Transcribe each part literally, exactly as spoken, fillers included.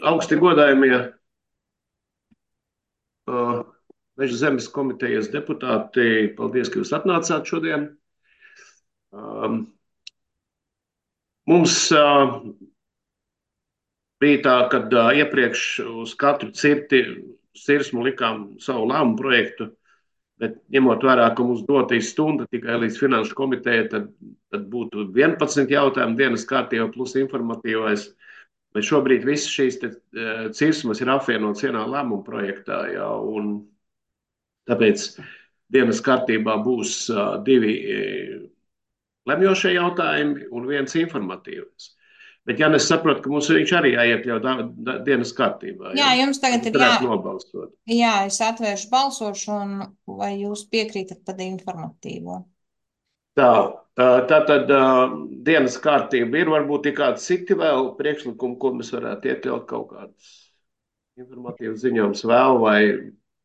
Augsti godājumie uh, Meža zemes komitejas deputāti, paldies, ka jūs atnācāt šodien. Um, mums uh, bija tā, ka uh, iepriekš uz katru cirti sirsmu likām savu lēmumu projektu, bet ņemot vērā, ka mums dotīs stunda tikai līdz finanšu komitejai, tad, tad būtu vienpadsmit jautājumu dienas kārtībā plus informatīvais. Bet šobrīd visas šīs te, uh, cirsmas ir apvienotas vienā lēmuma projektā, jā, un tāpēc dienas kārtībā būs uh, divi uh, lemjošie jautājumi un viens informatīvs. Bet, ja es saprotu, ka mums viņš arī jāiekļauj da, da, dienas kārtībā, Jā, ja? jums tagad ir jā, Varētu nobalsot. jā, es atvēršu balsošanu, vai jūs piekrītat par informatīvo? Tā, tā tad uh, dienas kārtība ir, varbūt ir kādi citi vēl priekšlikumi, ko mēs varētu iekļaut kaut kādus informatīvus ziņojumus vēl, vai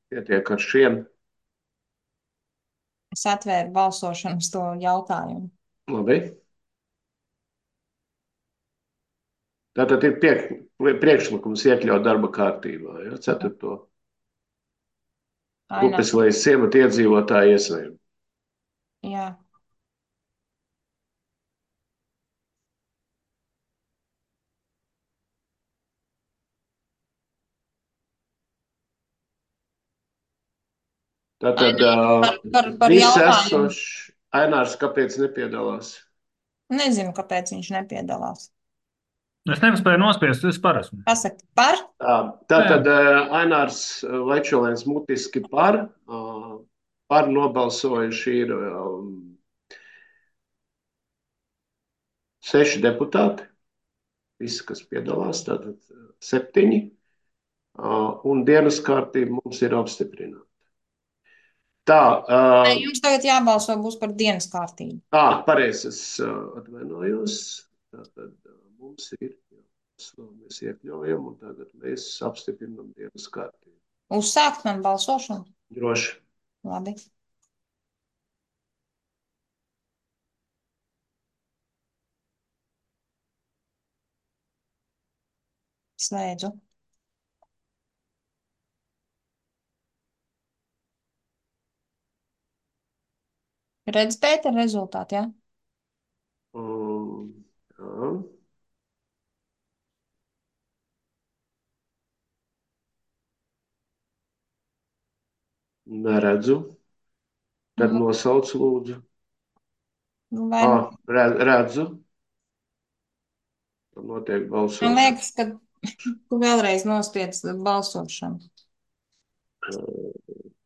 pietiek ar šiem. Es atvēru balsošanu uz to jautājumu. Labi. Tātad ir pie, priekšlikums iekļaut darba kārtībā, ja, ceturto. Upes vai ciemata iedzīvotāju iesaisti. Jā. Tātad par, par, par viss jautājumu. esošs Ainārs, kāpēc nepiedalās? Nezinu, kāpēc viņš nepiedalās. Es nespēju nospiest, es par esmu. Pasaka par? Tā, tātad Ainārs Vaičolēns mutiski par, par nobalsojuši ir um, seši deputāti, visi, kas piedalās, tātad septiņi, uh, un dienas kārtība mums ir apstiprināta. Tā. Uh, Jums tagad jābalso būs par dienas kārtību. Ā, pareizi, es uh, atvainojos. Tātad uh, mums ir, jā, mēs iekļaujam, un tagad mēs apstiprinam dienas kārtību. Uzsākt man balsošanu? Droši. Labi. Slēdzu. Redz, Pēter, rezultāti, jā? Um, jā. Neredzu. Tad mm. nosauc lūdzu. Vai... Ah, redzu. Tad notiek balsošana. Man liekas, ka tu vēlreiz nospiedz balsošanu.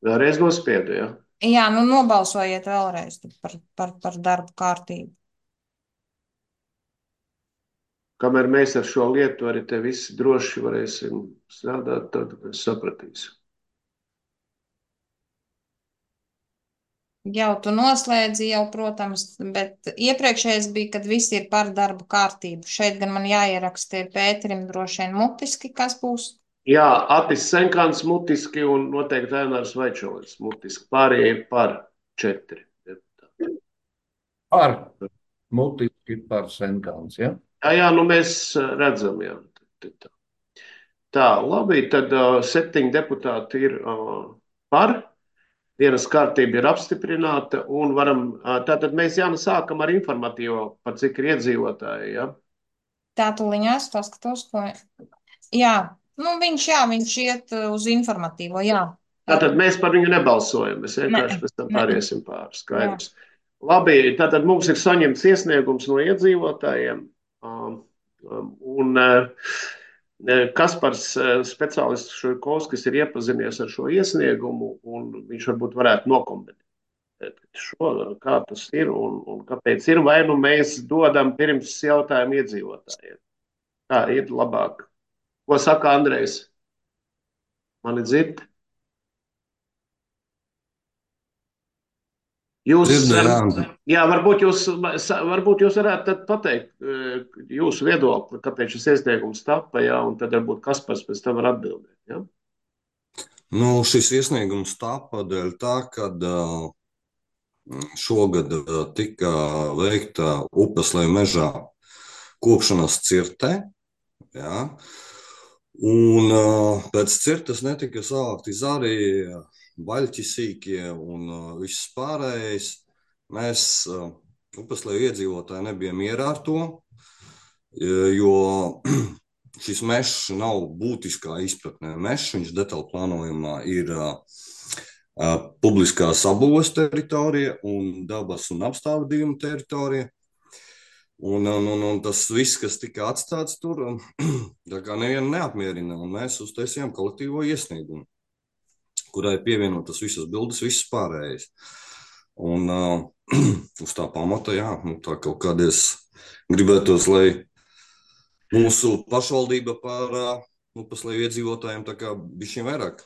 Vēlreiz nospiedu, jā? Jā, nu nobalsojiet vēlreiz par, par, par darbu kārtību. Kamēr mēs ar šo lietu arī te visi droši varēsim strādāt, tad mēs sapratīsim. Jau tu noslēdzi, jau, protams, bet iepriekšējais bija, kad visi ir par darbu kārtību. Šeit gan man jāieraksta Pēterim droši vien mutiski, kas būs. Jā, Atis Senkāns mutiski un noteikti Ainārs Vaičolēns mutiski. Pārējie par četri. Par mutiski par Senkāns, ja? Jā, jā, nu mēs redzam, jā. Tā, tā labi, tad uh, septiņi deputāti ir uh, par. Dienas kārtība ir apstiprināta un varam, tātad mēs Jāna sākam ar informatīvo, par cik ir iedzīvotāji, ja? Tā tuliņās paskatos, ko... Jā, nu viņš, jā, viņš iet uz informatīvo, jā. Tātad mēs par viņu nebalsojam, mēs vienkārši pēc tam pāriesim pāri, skaidrs. Labi, tātad mums ir saņemts iesniegums no iedzīvotājiem un Kaspars speciālists Šuikovskis ir iepazinies ar šo iesniegumu, un viņš varbūt varētu nokomentēt šo, kā tas ir un, un kāpēc ir, vai nu mēs dodam pirms jautājumu iedzīvotājiem. Tā ir labāk. Ko saka Andrejs? Mani dzird? Jūs, jā, varbūt jūs, varbūt jūs varētu pateikt jūsu viedokli, kāpēc šis iesniegums tapa, jā, un tad varbūt Kaspars pēc tam var atbildēt, jā? Nu, šis iesniegums tapa dēļ tā, kad šogad tika veikta Upes vai mežā kopšanas cirtē, jā, Un uh, pēc cirtas netika savākti zari, baļķi sīkie un uh, viss pārējais. Mēs, uh, Upesleju iedzīvotāji, nebijām mierā ar to, jo šis mežs nav būtiskā izpratnē. Mežs, viņš detaļu plānojumā ir uh, uh, publiskās apbūves teritorija un dabas un apstādījuma teritorija. Un, un, un, un tas viss, kas tika atstāts tur, tā kā nevienu neapmierina. Un mēs uztaisījām kolektīvo iesniegumu, kurai pievienotas visas bildes, visas pārējais. Un uh, uz tā pamata, jā, nu, tā kaut kādreiz gribētos, lai mūsu pašvaldība par uh, Upesleju iedzīvotājiem tā kā bišķiņ vairāk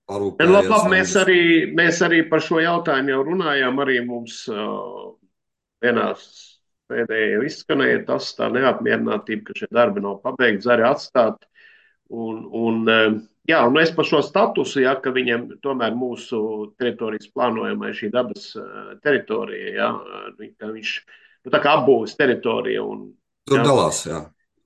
parūpējās. Labi, labi, mēs arī, mēs arī par šo jautājumu jau runājām, arī mums uh, vienās pēdējā izskanēja tas tā neapmierinātība, ka šie darbi nav pabeigti, zari atstāt. Un, un, jā, un es par šo statusu, ja, ka viņiem tomēr mūsu teritorijas plānojumā ir šī dabas teritorija, ja, ka viņš, nu, tā kā apbūves teritorija. Un, tur jā, dalās, jā.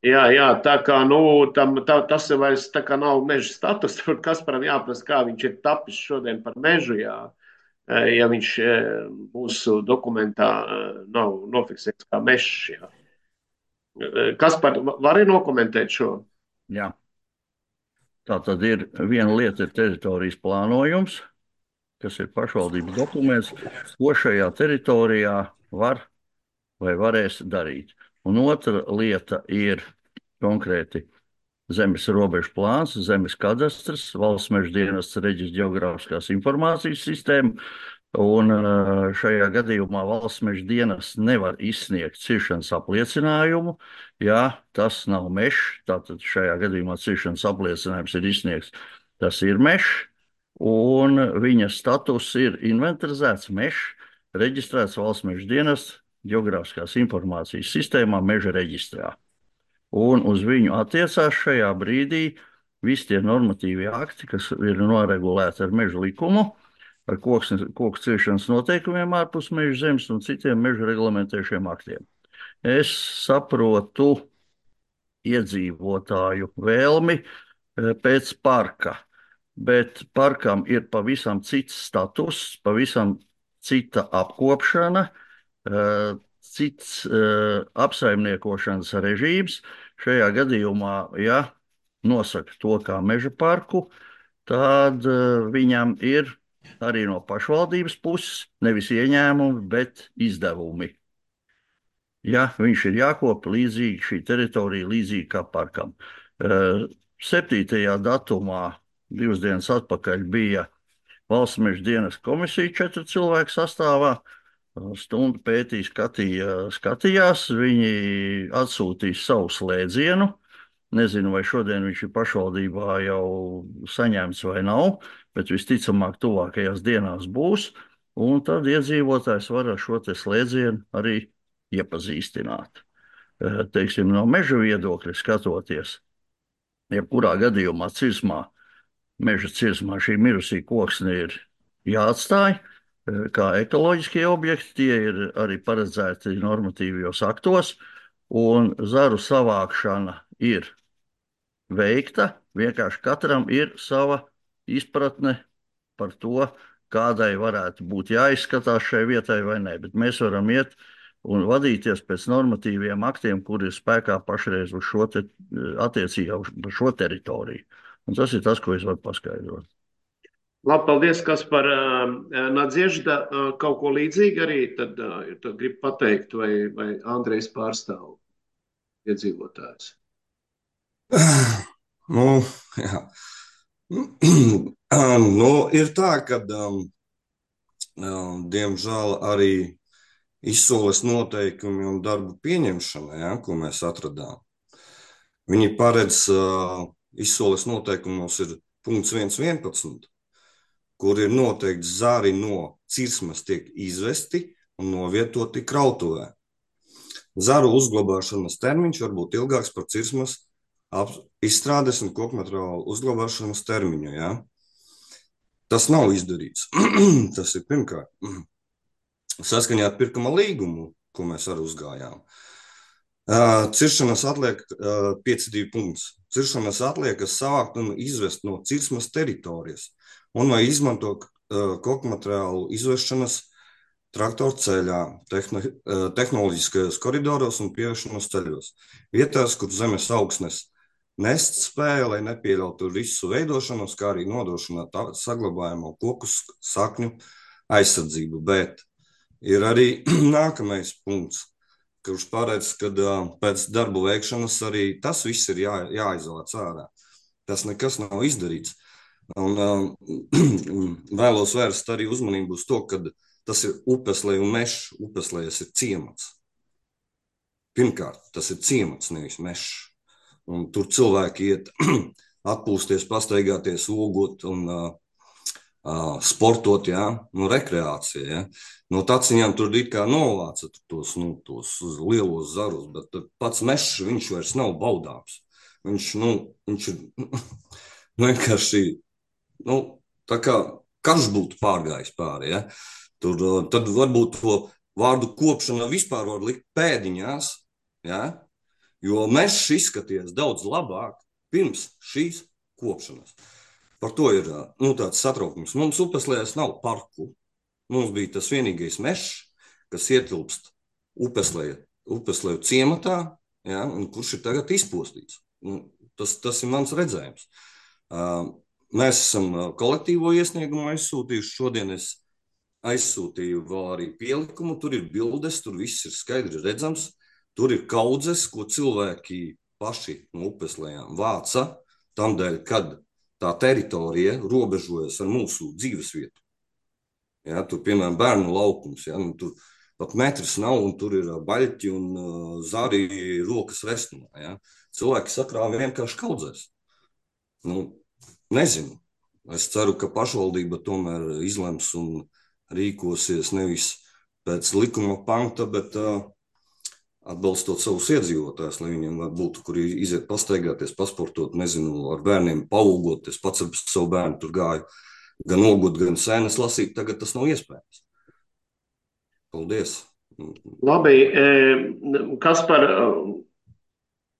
Jā, jā, tā kā, nu, tam, tā, tas ir vairs tā kā nav meža status, tur Kasparam jāprasa, kā viņš ir tapis šodien par mežu, jā. Ja viņš mūsu dokumentā nav nofiksēts kā mežs. Jā. Kaspar, vari nokomentēt šo? Jā. Tā tad ir viena lieta ir teritorijas plānojums, kas ir pašvaldības dokuments, ko šajā teritorijā var vai varēs darīt. Un otra lieta ir konkrēti zemes robežu plāns, zemes kadastrs, valsts meža dienests reģistra ģeogrāfiskās informācijas sistēma. Un šajā gadījumā valsts meža dienests nevar izsniegt ciršanas apliecinājumu, ja tas nav mežs. Tātad šajā gadījumā ciršanas apliecinājums ir izsniegts, tas ir mežs, un viņa status ir inventarizēts mežs, reģistrēts valsts meža dienests ģeogrāfiskās informācijas sistēmā meža reģistrā. Un uz viņu attiecās šajā brīdī visi tie normatīvie akti, kas ir noregulēti ar meža likumu, ar koku ciršanas noteikumiem ārpus meža zemes un citiem meža reglamentējušiem aktiem. Es saprotu iedzīvotāju vēlmi pēc parka, bet parkam ir pavisam cits status, pavisam cita apkopšana, cits apsaimniekošanas režīms. Šajā gadījumā, ja nosaka to kā meža parku, tad viņam ir arī no pašvaldības puses nevis ieņēmumi, bet izdevumi. Ja viņš ir jākopa līdzīgi šī teritorija, līdzīgi kā parkam. septītajā datumā, divas dienas atpakaļ, bija valsts meža dienas komisija četru cilvēku sastāvā. Stundu pētīja, skatīja, skatījās, viņi atsūtīja savu slēdzienu. Nezinu, vai šodien viņš ir pašvaldībā jau saņemts vai nav, bet visticamāk tuvākajās dienās būs. Un tad iedzīvotājs var ar šo te slēdzienu arī iepazīstināt. Teiksim, no meža viedokļa skatoties, jebkurā gadījumā cirsmā, meža cirsmā šī mirusī koksne ir jāatstāj kā ekoloģiskie objekti, tie ir arī paredzēti normatīvajos aktos, un zaru savākšana ir veikta, vienkārši katram ir sava izpratne par to, kādai varētu būt jāizskatās šai vietai vai ne, bet mēs varam iet un vadīties pēc normatīviem aktiem, kur ir spēkā pašreiz uz šo te, attiecībā uz šo teritoriju. Un tas ir tas, ko es varu paskaidrot. Labi, paldies, Kaspar. Nadziežda kaut ko līdzīgi arī tad, tad grib pateikt, vai, vai Andrejs pārstāv iedzīvotājus? Nu, jā. Nu, ir tā, ka, um, diemžēl, arī izsoles noteikumi un darbu pieņemšana, ja, ko mēs atradām, viņi paredz uh, izsoles noteikumos ir punkts viens vienpadsmit, kur ir noteikti zari no cirsmas tiek izvesti un novietoti krautuvē. Zaru uzglabāšanas termiņš var būt ilgāks par cirsmas izstrādes un kokmateriālu uzglabāšanas termiņu. Ja? Tas nav izdarīts. Tas ir pirmkārt. Saskaņā ar pirkuma līgumu, ko mēs arī uzgājām. Uh, Ciršanas atliek uh, pieci divi punkts. Ciršanas atliekas savākt un izvest no cirsmas teritorijas un vai izmantot uh, koku materiālu izvešanas traktoru ceļā, tehno, uh, tehnoloģiskajos koridoros un pieviešanos ceļos. Vietās, kur zemes augsnes nest spēja, lai nepieļautu risu veidošanos, kā arī nodrošināt saglabājamo koku sakņu aizsardzību. Bet ir arī nākamais punkts, kurš paredz, ka uh, pēc darbu veikšanas arī tas viss ir jā, jāizvāc ārā. Tas nekas nav izdarīts. Un uh, vēlos vērst arī uzmanību uz to, ka tas ir Upesleja un Mežs. Upeslejas ir ciemats. Pirmkārt, tas ir ciemats, nevis Mežs. Un tur cilvēki iet atpūsties, pastaigāties, ogot un uh, uh, sportot, jā, nu, rekreācija, jā. No taciņām tur it kā novāca tos, nu, tos lielos zarus, bet pats Mežs, viņš vairs nav baudāms. Viņš, nu, viņš ir vienkārši, nu, tā kā karš būtu pārgājis pāri, ja. Tur, tad varbūt to vārdu kopšana vispār var likt pēdiņās, ja, jo Mežs izskaties daudz labāk pirms šīs kopšanas. Par to ir, nu, tāds satraukums. Mums Upeslejās nav parku. Mums bija tas vienīgais Mežs, kas ietilpst Upesleja, Upesleju ciematā, ja, un kurš ir tagad izpostīts. Tas, tas ir mans redzējums. Mēs esam kolektīvo iesniegumu aizsūtījuši. Šodien es aizsūtīju vēl arī pielikumu. Tur ir bildes, tur viss ir skaidri redzams. Tur ir kaudzes, ko cilvēki paši no Upeslejām vāca, tamdēļ, kad tā teritorija robežojas ar mūsu dzīvesvietu. Ja, tur, piemēram, bērnu laukums, ja, nu, tur pat metrs nav, un tur ir baļķi un uh, zari rokas restumā. Ja. Cilvēki sakrāva vienkārši kaudzēs. Nu, nezinu. Es ceru, ka pašvaldība tomēr izlems un rīkosies nevis pēc likuma panta, bet uh, atbalstot savus iedzīvotājus, lai viņiem būtu, kur iziet pastaigāties, pasportot, nezinu, ar bērniem paaugot. Es pats ar savu bērnu tur gāju. Gan ogot, gan sēnes lasīt, tagad tas nav iespējams. Paldies. Labi, Kaspar,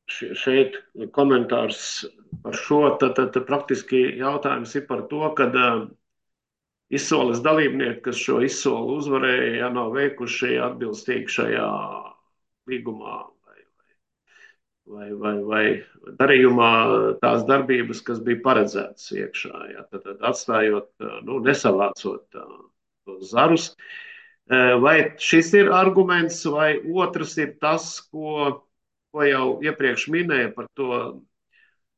šeit komentārs par šo, tad, tad praktiski jautājums ir par to, kad izsoles dalībnieki, kas šo izsoli uzvarēja, ja nav veikuši atbilstīgi šajā līgumā vai, vai, vai darījumā tās darbības, kas bija paredzētas iekšā, ja, tad, tad atstājot, nu, nesavācot tos zarus. Vai šis ir arguments, vai otrs ir tas, ko, ko jau iepriekš minēja par to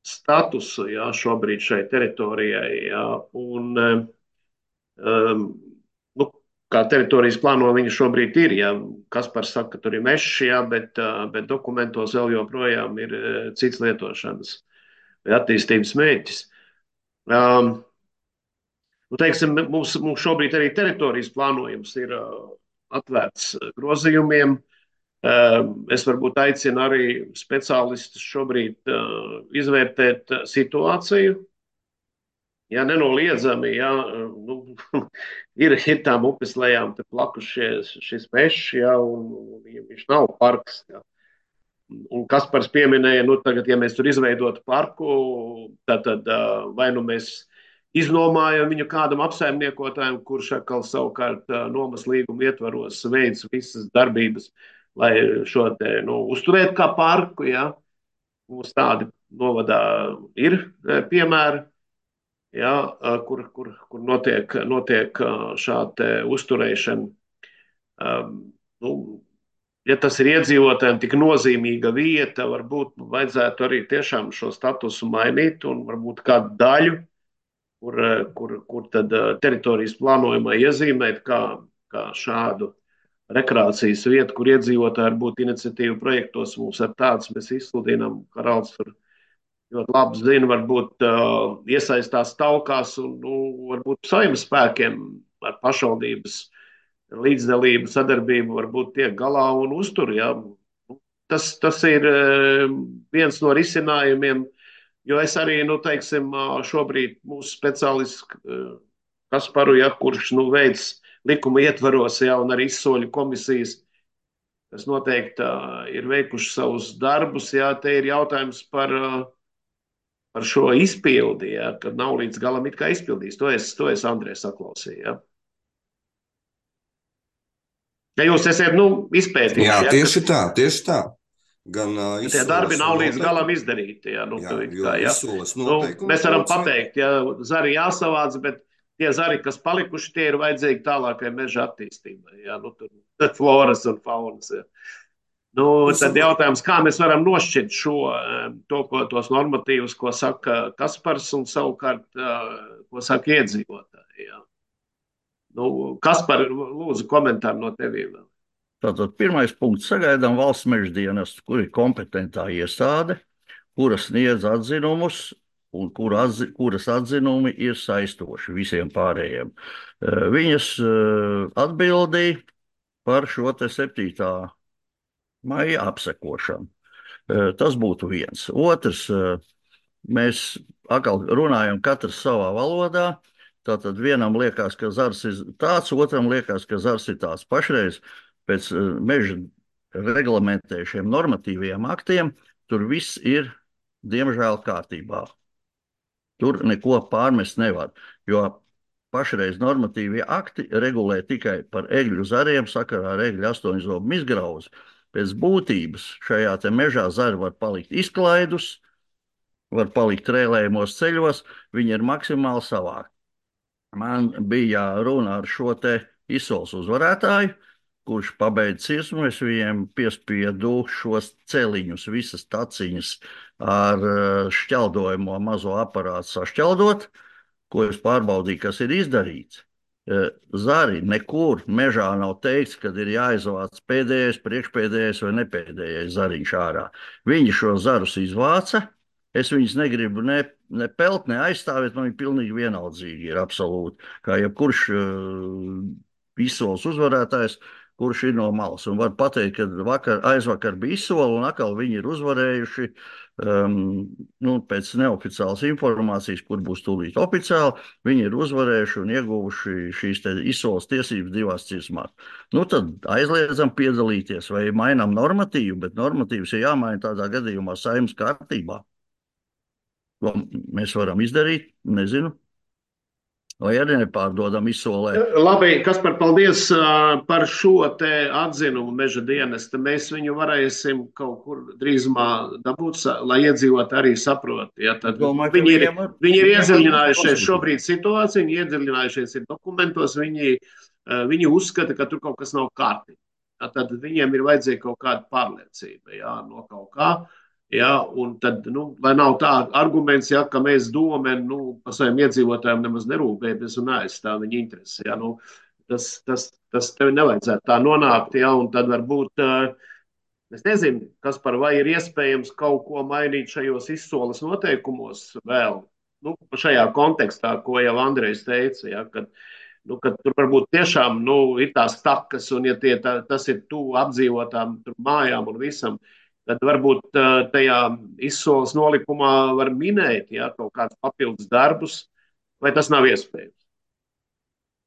statusu, ja, šobrīd šai teritorijai, ja, un um, nu, kā teritorijas plāno viņa šobrīd ir, ja Kaspars saka, ka tur ir Mežs, ja, bet, bet dokumentos vēl joprojām ir cits lietošanas vai attīstības mērķis. Um, nu, teiksim, mums, mums šobrīd arī teritorijas plānojums ir uh, atvērts grozījumiem. Uh, es varbūt aicinu arī speciālistus šobrīd uh, izvērtēt uh, situāciju. Ja nenoliedzami, ja, nu, ir, ir tām Upeslejām plakušies šis Mežs, ja, un, un viņš nav parks. Ja. Un Kaspars pieminēja, nu tagad, ja mēs tur izveidotu parku, tad, tad vai nu mēs iznomājam viņu kādam apsaimniekotājam, kurš atkal savukārt nomas līguma ietvaros veids visas darbības, lai šo te, nu, uzturētu kā parku, ja. Mums tādi novadā ir piemēri. Ja, kur, kur, kur notiek, notiek šāda uzturēšana. Um, nu, ja tas ir iedzīvotājiem tik nozīmīga vieta, varbūt vajadzētu arī tiešām šo statusu mainīt un varbūt kādu daļu, kur, kur, kur tad teritorijas plānojumā iezīmēt kā, kā šādu rekreācijas vietu, kur iedzīvotāji varbūt iniciatīvu projektos mums ar tāds mēs izsludinām, Karals tur ļoti labi zina, varbūt uh, iesaistās taukās un, nu, varbūt saviem spēkiem ar pašvaldības līdzdalību, sadarbību varbūt tiek galā un uztur. Ja. Tas, tas ir uh, viens no risinājumiem, jo es arī, nu, teiksim, uh, šobrīd mūsu speciālists uh, Kasparu, ja, kurš, nu, veids likuma ietvaros, ja, un arī izsoļu komisijas kas noteikti uh, ir veikuši savus darbus. Jā, te ir jautājums par, uh, par šo izpildi, jā, kad nav līdz galam it kā izpildījis. To es, to es Andrēs saklausīju. Jā. Ja jūs esat nu, izpētījuši, Jā, jā, tieši kas, tā, tieši tā. Gan uh, tie izsoles darbi nav līdz noteikumi- galam izdarīti. Jā, nu, Jā, tu it jo kā, jā. izsoles Nu, noteikumi mēs varam trūkst, pateikt, ja zari jāsavāc, bet tie zari, kas palikuši, tie ir vajadzīgi tālākai meža attīstībai. Jā, nu, tur floras un faunas. Jā. Nu, Es tad saprotu. jautājums, kā mēs varam nošķirt šo, eh, to, ko, tos normatīvus, ko saka Kaspars un savukārt, eh, ko saka iedzīvotāji. Jā. Nu, Kaspar, lūdzu, komentāru no tevīm vēl. Tātad pirmais punkts: sagaidām valsts meža dienestu, kur ir kompetentā iestāde, kura sniedz atzinumus un kura atzi, kuras atzinumi ir saistoši visiem pārējiem. Eh, Viņas eh, atbildīja par šo te septītā maija apsekošanu. Eh, Tas būtu viens. Otrs, eh, mēs atkal runājam katrs savā valodā. Tātad vienam liekas, ka zars ir tāds, otram liekas, ka zars ir tāds. Pašreiz pēc eh, meža reglamentējušiem normatīviem aktiem tur viss ir diemžēl kārtībā. Tur neko pārmest nevar, jo pašreiz normatīvie akti regulē tikai par egļu zariem sakarā ar egļu astoņzobu izgrauzi. Pēc būtības šajā te mežā zari var palikt izklaidus, var palikt trēlējumos ceļos, viņi ir maksimāli savākti. Man bija runa ar šo te izsoles uzvarētāju, kurš pabeidz cirsmu. Es viņiem piespiedu šos celiņus, visas taciņas ar eh, šķeldojamo mazo aparātu sašķeldot, ko es pārbaudīju, kas ir izdarīts. Eh, Zari nekur mežā nav teikts, kad ir jāizvāc pēdējais, priekšpēdējais vai nepēdējais zariņš ārā. Viņi šo zarus izvāca. Es viņus negribu ne, ne pelt, ne aizstāvēt, man viņi pilnīgi vienaldzīgi ir absolūti. Kā jebkurš uh, izsoles uzvarētājs, kurš ir no malas. Un var pateikt, ka vakar, aizvakar bija izsole un atkal viņi ir uzvarējuši um, nu, pēc neoficiālas informācijas, kur būs tūlīt oficiāli, viņi ir uzvarējuši un ieguvuši šīs te izsoles tiesības divās cirsmās. Nu tad aizliedzam piedalīties vai mainām normatīvu, bet normatīvs ir jāmaina tādā gadījumā Saeimas kārtībā. Ko mēs varam izdarīt, nezinu. Vai arī nepārdodam izsolē. Labi, Kaspar, paldies uh, par šo te atzinumu meža dienesta. Mēs viņu varēsim kaut kur drīzumā dabūt, sa- lai iedzīvot arī saprot. Ja, tad Domāju, ka viņi ir, viņiem var- viņi ir viņiem var iedziļinājušies būt šobrīd situāciju, viņi iedziļinājušies ir dokumentos, viņi, uh, viņi uzskata, ka tur kaut kas nav kārtībā. Ja, tad viņiem ir vajadzīga kaut kāda pārliecība, ja, no kaut kā. Ja, un tad, nu, lai nav tā arguments, ja, ka mēs domājam, nu, par saviem iedzīvotājiem nemaz nerūpējamies un neaizstāv viņa intereses. Ja, nu, tas, tas, tas tev nevajadzētu tā nonākt, ja, un tad varbūt, es nezinu, kas par vai ir iespējams kaut ko mainīt šajos izsoles noteikumos vēl, nu, šajā kontekstā, ko jau Andrejs teica, ja, kad, nu, kad tur varbūt tiešām, nu, ir tās takas, un ja tie, tā, tas ir tuvu apdzīvotām tur mājām un visam, tad varbūt tajā izsoles nolikumā var minēt, ja, kaut kādus papildus darbus, vai tas nav iespējams.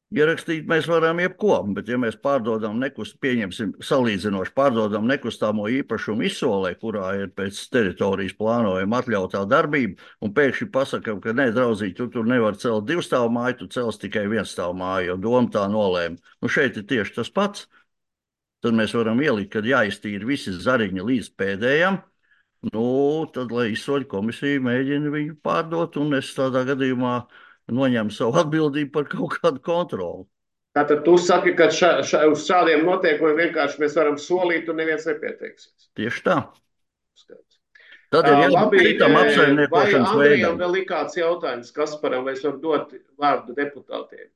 Ierakstīt mēs varam jebko, bet ja mēs pārdodam nekust, pieņemsim salīdzinoši, pārdodam nekustamo īpašumu izsolē, kurā ir pēc teritorijas plānojuma atļautā darbība, un pēkšņi pasakam, ka ne, draudzīgi, tu tur nevar celt divstāvu māju, tu cels tikai vienstāvu māju, jo doma tā nolēma. Nu šeit ir tieši tas pats. Tad mēs varam ielikt, kad jāiztīra visi zariņi līdz pēdējam, nu, tad, lai izsoļu komisija mēģina viņu pārdot, un es tādā gadījumā noņemu savu atbildību par kaut kādu kontroli. Tātad tu saki, ka ša, ša, uz šādiem noteikumiem vienkārši mēs varam solīt, un neviens nepieteiksies. Tieši tā. Tad ir Uh, jābūt labi, citam vai apsaimniekošanas Andrejam veidam. vēl ir kāds jautājums, Kasparam, vai es varu dot vārdu deputātiem?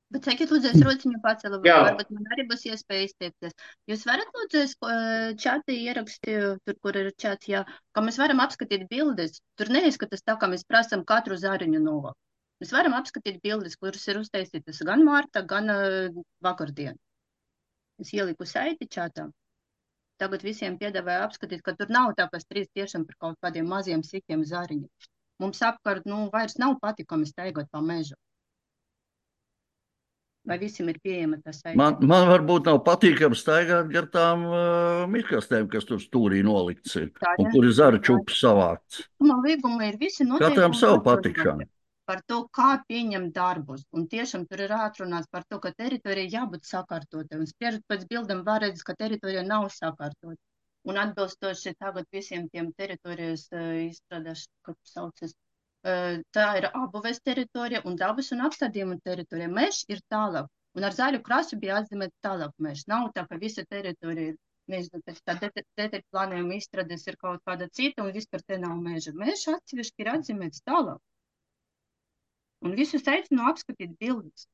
Bet sakiet, lūdzu, es rociņu pacelu, Jā. varbūt man arī būs iespēja izteikties. Jūs varat, lūdzu, es eh, čatī ierakstīju, tur, kur ir čats, jā, ka mēs varam apskatīt bildes. Tur neizskatās tā, ka mēs prasam katru zariņu novākt. Mēs varam apskatīt bildes, kuras ir uztaisītas gan Marta, gan uh, vakardien. Es ieliku saiti čatā. Tagad visiem piedāvāju apskatīt, ka tur nav tā, ka strīd tiešām par kaut kādiem maziem sikiem zariņiem. Mums apkārt, nu, vairs nav patikami staigot pa mežu. Vai visiem ir pieejama tā saite? Man, man varbūt nav patīkami staigāt gar tām uh, mikrostēm, kas tur stūrī nolikts ir, Tā, un ja? kur ir zara čups savākts. Man līguma ir visi Katram noteikumi savu atrunāti patikšanu. par to, kā pieņemt darbus. Un tiešām tur ir atrunāts par to, ka teritorija jābūt sakārtotai. Un spriežot pēc bildam var redzēt, ka teritorija nav sakārtota. Un atbilstoši tagad visiem tiem teritorijas uh, izstrādās, kā saucas, uh, tā ir abuves teritorija un dabas un apstādījuma teritorija. Mežs ir tālāk. Un ar zaļu krasu bija atzīmēt tālāk mežs. Nav tā, ka visa teritorija ir, nezinu, pēc tā detekta plānojuma izstrādes ir kaut kāda cita un vispār te nav meža. Mežs atsevišķi ir atzīmēts tālāk. Un visus aicinu apskatīt bildes.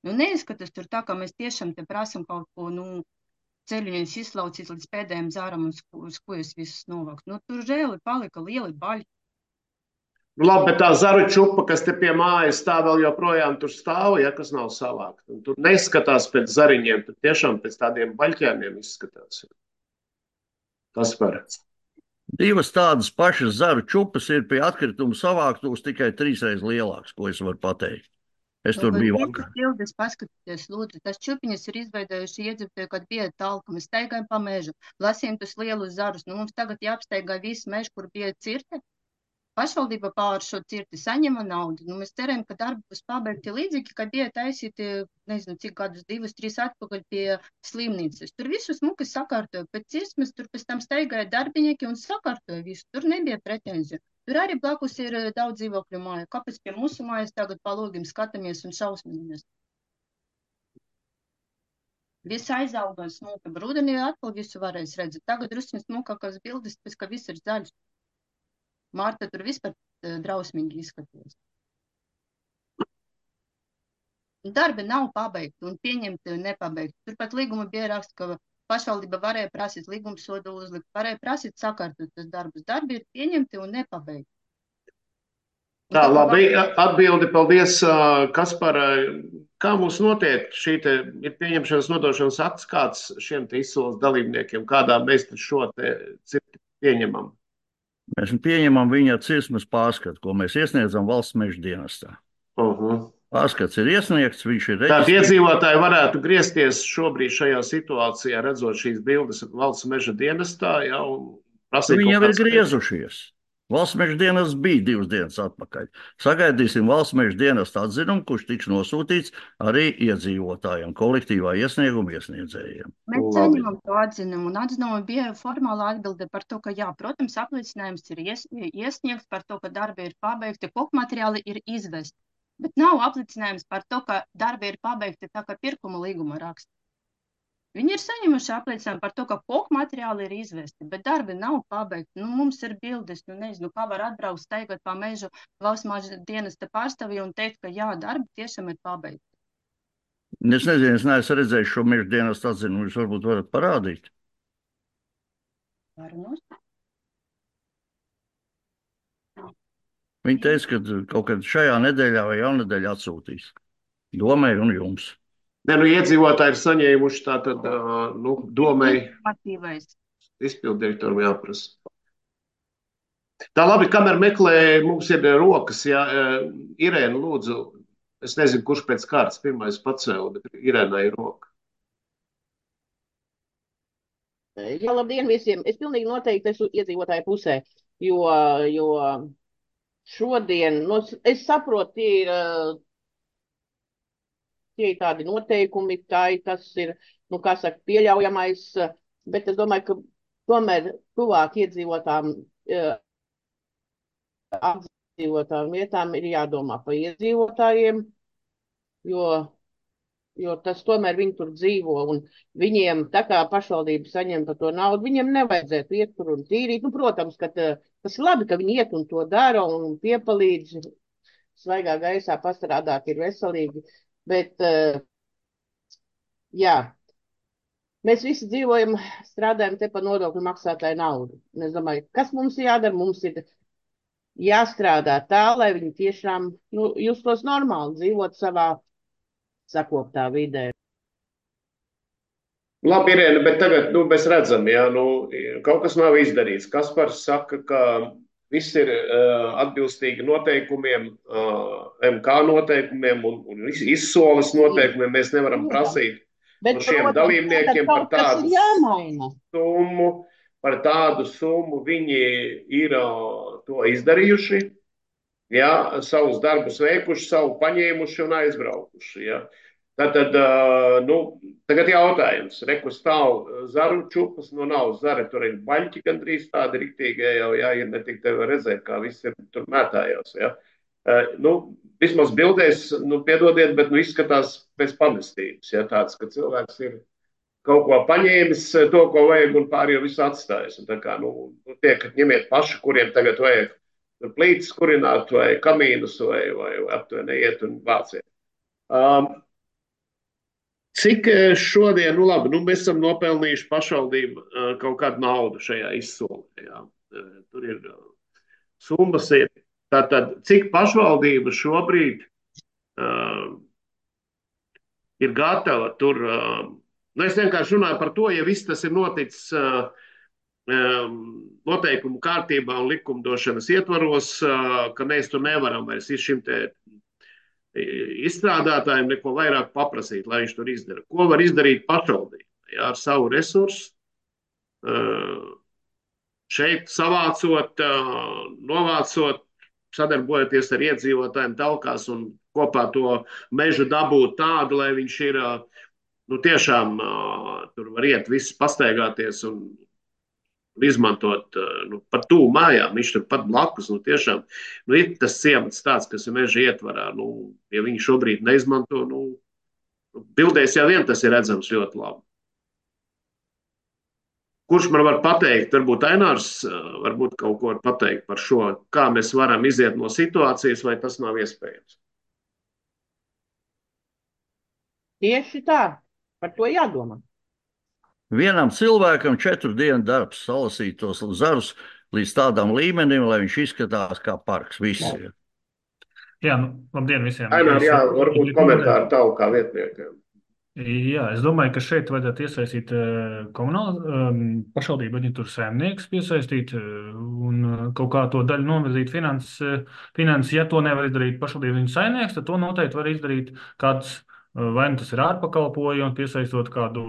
Nu, neizskatās tur tā, ka mēs tiešām te prasam kaut ko, nu, ceļuņus izlaucīt līdz pēdējiem zāram un skujas visus novākt. Nu, tur reāli palika lieli baļi. Nu, labi, bet tā zaru čupa, kas te pie mājas tā vēl joprojām tur stāv, ja, kas nav savākt. Un tur neskatās pēc zariņiem, tur tiešām pēc tādiem baļķēmiem izskatās. Tas par. Divas tādas pašas zaru čupas ir pie atkrituma savāktos tikai trīsreiz lielāks, ko es varu pateikt. Es tur Nu, biju bet vakar. bildes paskatieties, lūdzu, tas čupiņas ir izveidojuši iedzīvotāji, kad bija talka, mēs staigājam pa mežu, lasījām tus lielus zarus, nu mums tagad jāapstaigā visu mežu, kur bija cirte. Pašvaldība pār šo cirti saņema naudu. Nu, mēs ceram, ka darbi būs pabeigti līdzīgi, kad bija taisīti, nezinu, cik gadus, divus, trīs atpakaļ pie slimnīcas. Tur visu smuki sakārtoja. Pēc cirsmes tur pēc tam staigāja darbinieki un sakārtoja visu. Tur nebija pretenziju. Tur arī blakus ir daudz dzīvokļu māju. Kāpēc pie mūsu mājas tagad palūgim skatāmies un šausminamies? Viss aizauga smuka. Rudenī atkal visu varēs redzēt. Tagad drusku smukākās bildes, pēc ka viss ir zaļš. Mārta tur vispār drausmīgi izskatījās. Darbi nav pabeigti un pieņemti nepabeigti. Turpat līguma bija raksts, ka pašvaldība varēja prasīt līguma sodu uzlikt, varēja prasīt sakārtot tas darbus. Darbi ir pieņemti un nepabeigti. Un Tā, tā, labi, atbildi, paldies, Kaspar. Kā mums notiek šī te ir pieņemšanas nodošanas akts, kāds šiem te izsoles dalībniekiem, kādā mēs šo te cirti pieņemam? Mēs pieņemam viņa cirsmes pārskatu, ko mēs iesniedzam valsts meža dienestā. Uh-huh. Pārskats ir iesniegts, viņš ir Tātad reģistrēts. iedzīvotāji varētu griezties šobrīd šajā situācijā, redzot šīs bildes valsts meža dienestā, ja, un prasīt Viņi jau kaut ir kāds- griezušies. Valsts meža dienests bija divas dienas atpakaļ. Sagaidīsim valsts meža dienesta atzinumu, kurš tiks nosūtīts arī iedzīvotājiem, kolektīvā iesnieguma iesniedzējiem. Mēs Labi. saņemam to atzinumu, un atzinumu bija formāla atbilde par to, ka jā, protams, apliecinājums ir ies, iesniegts par to, ka darbi ir pabeigti, koku materiāli ir izvesti. Bet nav apliecinājums par to, ka darbi ir pabeigti tā kā pirkuma līguma raksta. Viņi ir saņemuši apliecinājumu par to, ka koku materiāli ir izvesti, bet darbi nav pabeigti. Nu, mums ir bildes, nu nezinu, kā var atbraukt staigāt pa mežu valsts meža dienesta pārstāvji un teikt, ka jā, darbi tiešām ir pabeigti. Es nezinu, es neesmu redzējis šo meža dienesta atzinumu, jūs varbūt varat parādīt. Varu Viņi teica, ka kaut kad šajā nedēļā vai jaunedēļā atsūtīs. Domai un jums. Ne, nu, iedzīvotāji ir saņēmuši tātad, ā, nu, domai Informatīvais. izpildirektoram jāprasa. Tā labi, kamēr meklē, mums ir rokas, ja Irēna lūdzu, es nezinu, kurš pēc kārtas pirmais pacēla, bet Irēnai ir roka. Jā, labdien visiem. Es pilnīgi noteikti esmu iedzīvotāju pusē, jo, jo šodien, nu, es saprotu, tie ir, tie ir tādi noteikumi, tā ir, tas ir, nu, kā saka, pieļaujamais, bet es domāju, ka tomēr tuvāk iedzīvotām, apdzīvotām vietām ir jādomā par iedzīvotājiem, jo jo tas tomēr viņi tur dzīvo, un viņiem, tā kā pašvaldība saņem par to naudu, viņiem nevajadzētu iet tur un tīrīt. Nu, protams, ka tā, tas ir labi, ka viņi iet un to dara un piepalīdz, svaigā gaisā pastrādāt ir veselīgi, bet, jā, mēs visi dzīvojam, strādājam te pa nodokļu maksātāju naudu. Un es domāju, kas mums jādara? Mums ir jāstrādā tā, lai viņi tiešām, nu, justos normāli, dzīvot savā sakoptā vidē. Labi, Irēna, bet tagad, nu, mēs redzam, jā, nu, kaut kas nav izdarīts. Kaspars saka, ka viss ir uh, atbilstīgi noteikumiem, uh, M K noteikumiem un, un izsoles noteikumiem. Mēs nevaram prasīt Bet, no šiem protams, dalībniekiem par kaut kas tādu ir jāmaina. summu, par tādu summu viņi ir uh, to izdarījuši, ja, savus darbus veikuši, savu paņēmuši un aizbraukuši. Ja. Tātad, uh, nu, tagad jautājums, reku stāv zaru čupas, nu nav zara, tur ir baļķi gandrīz tādi riktīgie jau, ja, ir ne tik tev redzēt, kā viss ir tur mētājās, ja. Uh, nu, vismaz bildēs, nu, piedodiet, bet, nu, izskatās pēc pamestības, ja, tāds, ka cilvēks ir kaut ko paņēmis, to, ko vajag, un pārējo visu atstājis. Un tā kā, nu, tiek ņemiet paši, kuriem tagad vajag plītis kurināt, vai kamīnus, vai, vai, vai aptuveni iet un vāciet. Um, Cik šodien, nu labi, nu mēs esam nopelnījuši pašvaldību uh, kaut kādu naudu šajā izsolē. Jā. Uh, tur ir uh, summas. Ir. Tātad, cik pašvaldība šobrīd uh, ir gatava tur, uh, nu es vienkārši runāju par to, ja viss tas ir noticis uh, um, noteikumu kārtībā un likumdošanas ietvaros, uh, ka mēs tur nevaram vairs šim te izstrādātājiem neko vairāk paprasīt, lai viņš tur izdara. Ko var izdarīt pašvaldība? Ja, ar savu resursu, šeit savācot, novācot, sadarbojoties ar iedzīvotājiem telkās un kopā to mežu dabūt tādu, lai viņš ir, nu tiešām tur var iet viss pastaigāties un izmantot nu, par tūvu mājām, viņš tur pat blakus, nu tiešām, nu ir tas ciemats tāds, kas ir meža ietvarā, nu, ja viņi šobrīd neizmanto, nu, bildēs jau vien tas ir redzams ļoti labi. Kurš man var pateikt, varbūt Ainārs, varbūt kaut ko var pateikt par šo, kā mēs varam iziet no situācijas, vai tas nav iespējams? Tieši tā, par to jādomā. Vienam cilvēkam četru dienu darbs salasīt tos zarus līdz tādam līmenim, lai viņš izskatās kā parks visi. Jā, nu, labdien visiem. Ainār, jā, varbūt komentāri tavu kā vietniekiem. Jā, es domāju, ka šeit vajadzētu iesaistīt komunālu um, pašvaldību aģentūru saimnieks, piesaistīt un kaut kā to daļu novirzīt finanses. Finans, ja to nevar izdarīt pašvaldību viņa saimnieks, tad to noteikti var izdarīt kāds, vai nu tas ir ārpakalpojums, piesaistot kādu,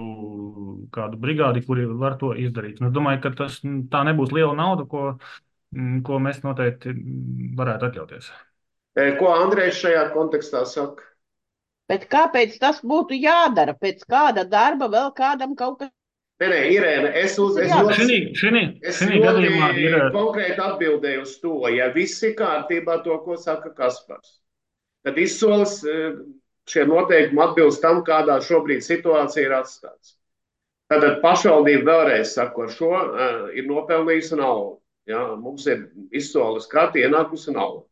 kādu brigādi, kuri var to izdarīt. Un es domāju, ka tas tā nebūs liela nauda, ko, ko mēs noteikti varētu atļauties. Ko Andrejs šajā kontekstā saka? Bet kāpēc tas būtu jādara? Pēc kāda darba vēl kādam kaut kas? Nē, nē, Irēna, es uz es ļoti, šinī, šinī, es šinī gadījumā ļoti ir konkrēti atbildēju uz to, ja viss ir kārtībā to, ko saka Kaspars, tad izsoles šie noteikumi atbilst tam, kādā šobrīd situācija ir atstāts. Tātad pašvaldība vēlreiz saku, ar šo uh, ir nopelnījusi naudu. Ja? Mums ir izsoles kārta ienākusi nauda.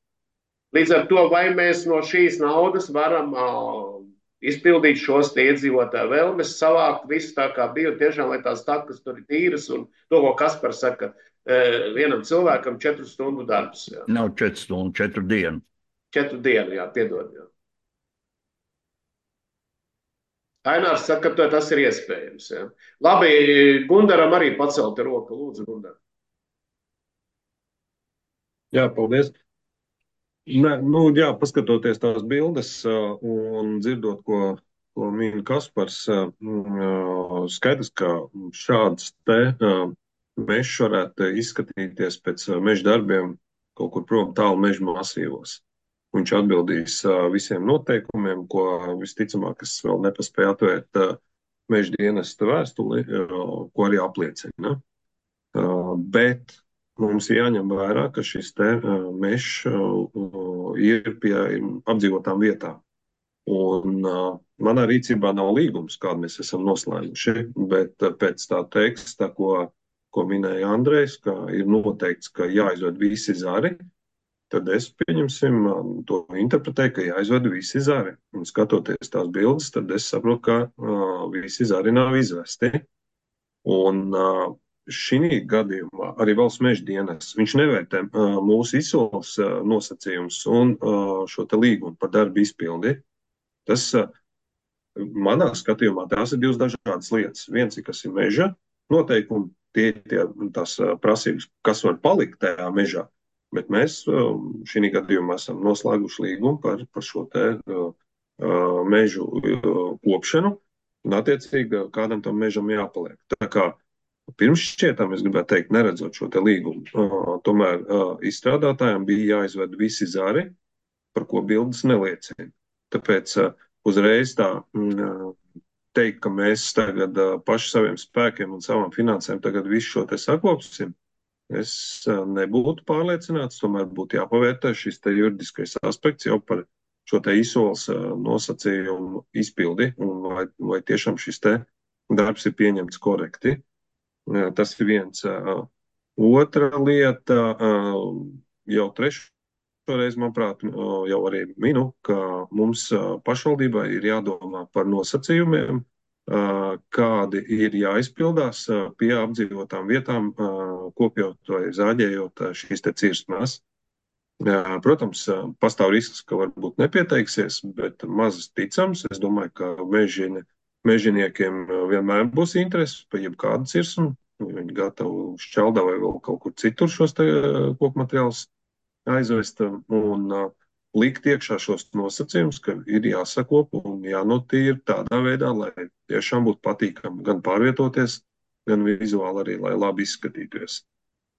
Līdz ar to, vai mēs no šīs naudas varam uh, izpildīt šos iedzīvotāju vēlmes, savākt visu tā kā bija, tiešām, lai tās takas tur ir tīras, un to, ko Kaspars saka, uh, vienam cilvēkam četru stundu darbs. Jā. Nav četru stundu, četru dienu. Četru dienu, jā, piedod. Jā. Ainārs saka, ka tas ir iespējams. Ja. Labi, Gundaram arī pacelta roka. Lūdzu, Gundar. Jā, paldies. Ne, nu, jā, paskatoties tās bildes un dzirdot, ko, ko min Kaspars, skaidrs, ka šāds te mežs varētu izskatīties pēc meža darbiem kaut kur prom tālu meža masīvos. Viņš atbildīs visiem noteikumiem, ko visticamāk, kas vēl nepaspēja atvērt meža dienesta vēstuli, ko arī apliecina. Bet mums jāņem vērā, ka šis te mežs ir pie apdzīvotām vietām. Un manā rīcībā nav līgums, kādu mēs esam noslēguši, bet pēc tā teksta, ko, ko minēja Andrejs, ka ir noteikts, ka jāizved visi zari, tad es, pieņemsim, to interpretēju, ka jāizved visi zari. Un skatoties tās bildes, tad es saprotu, ka uh, visi zari nav izvesti. Un uh, šī gadījumā arī valsts meža dienas, viņš nevērtē uh, mūsu izsoles uh, nosacījumus un uh, šo te līgumu par darbu izpildi. Tas, uh, manā skatījumā, tās ir divas dažādas lietas. Viens ir, kas ir meža noteikumi, tie ir tās uh, prasības, kas var palikt tajā mežā. Bet mēs šī gadījumā esam noslēguši līgumu par, par šo te uh, mežu uh, kopšanu, un attiecīgi kādam tam mežam jāpaliek. Tā kā pirms šķietām, es gribētu teikt, neredzot šo te līgumu, uh, tomēr uh, izstrādātājiem bija jāizved visi zari, par ko bildes neliecina. Tāpēc uh, uzreiz tā uh, teikt, ka mēs tagad uh, paši saviem spēkiem un savām finansēm tagad visu šo te sakopsim, es uh, nebūtu pārliecināts, tomēr būtu jāpavērtē šis te juridiskais aspekts jau par šo te izsoles uh, nosacījumu izpildi, un vai, vai tiešām šis te darbs ir pieņemts korekti. Uh, tas ir viens. Uh, otra lieta, uh, jau trešo Šoreiz, manuprāt, jau arī minu, ka mums pašvaldībai ir jādomā par nosacījumiem, kādi ir jāizpildās pie apdzīvotām vietām, kopjot vai zāģējot šīs te cirsmās. Protams, pastāv risks, ka varbūt nepieteiksies, bet mazas ticams. Es domāju, ka mežini, mežiniekiem vienmēr būs interesi par jebkādu cirsmu. Viņi gatavi šķeldā vai vēl kaut kur citur šos te kokmateriālus aizvest un uh, likt iekšā šos nosacījumus, ka ir jāsakop un jānotīra tādā veidā, lai tiešām būtu patīkami gan pārvietoties, gan vizuāli arī, lai labi izskatīties.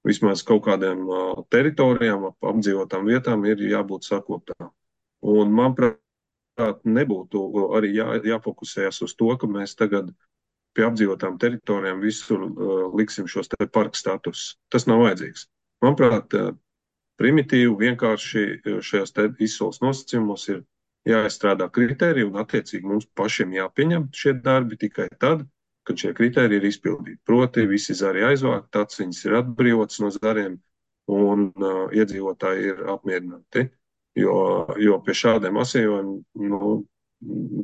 Vismaz kaut kādiem uh, teritorijām, ap apdzīvotām vietām ir jābūt sakoptām. Un, manuprāt, nebūtu arī jā, jāfokusējas uz to, ka mēs tagad pie apdzīvotām teritorijām visur uh, liksim šos te parku status. Tas nav vajadzīgs. Manuprāt, uh, primitīvi, vienkārši šajās izsoles nosacījumos ir jāizstrādā kritēriji un attiecīgi mums pašiem jāpieņem šie darbi tikai tad, kad šie kritēriji ir izpildīti. Proti, visi zari aizvākt, aciņas ir atbrīvotas no zariem un uh, iedzīvotāji ir apmierināti. Jo, jo pie šādiem asījumiem, nu,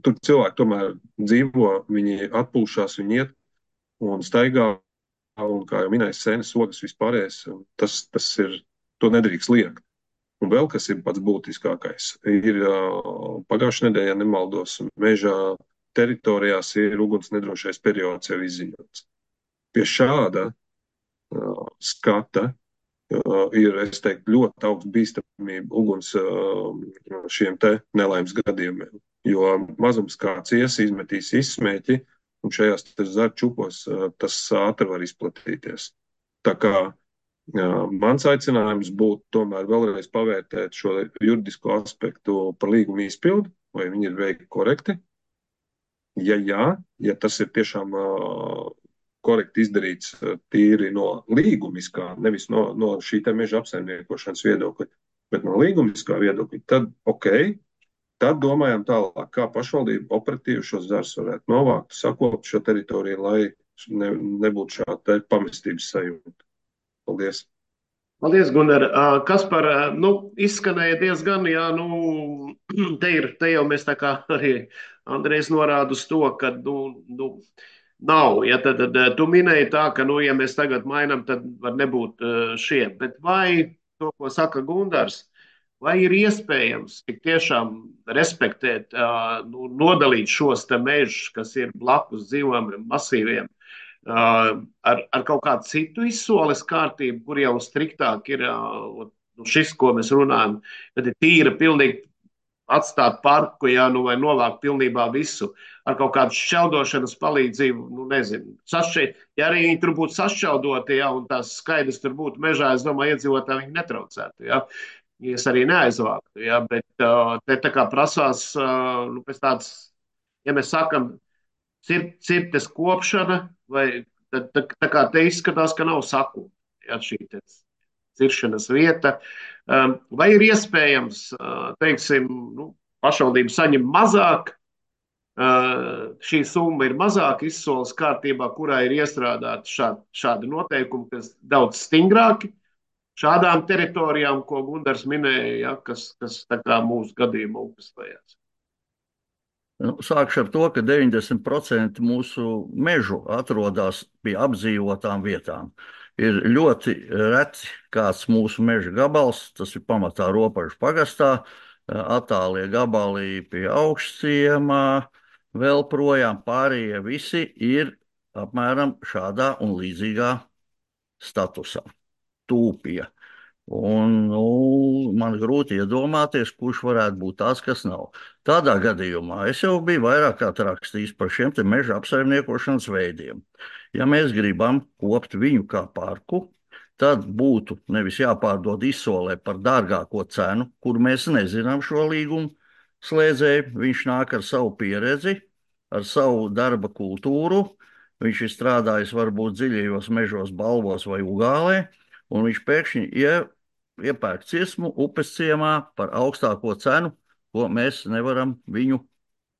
tur cilvēki tomēr dzīvo, viņi atpūšās, viņi iet un staigā, un kā jau minēju, sēnes, ogas, vispārējais, tas, tas ir to nedrīkst liekt. Un vēl, kas ir pats būtiskākais, ir uh, pagājušajā nedēļā, ja nemaldos, mežā teritorijās ir uguns nedrošais periods jau izziņots. Pie šāda uh, skata uh, ir, es teiktu, ļoti augsts bīstamība uguns uh, šiem te nelaimes gadījumiem. Jo mazums kāds ies, izmetīs izsmēķi, un šajās zaru čupos uh, tas ātri var izplatīties. Tā kā Jā, mans aicinājums būtu tomēr vēlreiz pavērtēt šo juridisko aspektu par līgumu izpildu, vai viņi ir veikti korekti. Ja jā, ja tas ir tiešām uh, korekti izdarīts uh, tīri no līgumiskā, nevis no, no šī te meža apsaimniekošanas viedokļa, bet no līgumiskā viedokļa, tad ok, tad domājam tālāk, kā pašvaldība operatīvi šos zarus varētu novākt, sakopt šo teritoriju, lai ne, nebūtu šāda pamestības sajūta. Paldies! Paldies, Gunnar. Kaspar, nu, izskanēja diezgan, jā, nu, te ir, te jau mēs tā kā arī Andrejs norāda uz to, ka, nu, nu nav, ja tad, tad tu minēji tā, ka, nu, ja mēs tagad mainam, tad var nebūt šie, bet vai to, ko saka Gundars, vai ir iespējams tik tiešām respektēt, nu, nodalīt šos te mežus, kas ir blakus dzīvojamiem masīviem, Uh, ar, ar kaut kādu citu izsoles kārtību, kur jau striktāk ir uh, šis, ko mēs runājam, kad ir tīra pilnīgi atstāt parku, jā, nu, vai novākt pilnībā visu ar kaut kādu šķeldošanas palīdzību, nu, nezinu. Sašķi, ja arī viņi tur būtu sašķeldoti, jā, un tās skaidrs tur būtu mežā, es domāju, iedzīvotāji viņi netraucētu, jā. Es arī neaizvāktu, jā, bet uh, te tā kā prasās, uh, nu, pēc tāds, ja mēs sakam, Cir, cirtes kopšana, vai tā, tā, tā kā te izskatās, ka nav sakuma, ja, šī te ciršanas vieta. Um, vai ir iespējams, uh, teiksim, nu, pašvaldība saņem mazāk, uh, šī summa ir mazāk izsoles kārtībā, kurā ir iestrādāti šādi, šādi noteikumi, kas daudz stingrāki šādām teritorijām, ko Gundars minēja, ja, kas, kas tā kā mūsu gadījumā upes lejās. Nu, sākšu ar to, ka deviņdesmit procenti mūsu mežu atrodas pie apdzīvotām vietām. Ir ļoti reti kāds mūsu meža gabals, tas ir pamatā Ropažu pagastā, attālie gabali pie Augšciemā, vēl projām pārējie visi ir apmēram šādā un līdzīgā statusā. Tūpija. Un, nu, man grūti iedomāties, kurš varētu būt tāds, kas nav. Tādā gadījumā es jau biju vairāk kā rakstījis par šiem te meža apsaimniekošanas veidiem. Ja mēs gribam kopt viņu kā parku, tad būtu nevis jāpārdod izsolē par dārgāko cenu, kur mēs nezinām šo līgumu slēdzēju. Viņš nāk ar savu pieredzi, ar savu darba kultūru. Viņš ir strādājis varbūt dziļajos mežos, Balvos vai Ugālē, un viņš pēkšņi ie, iepērk cirsmu upes ciemā par augstāko cenu, ko mēs nevaram viņu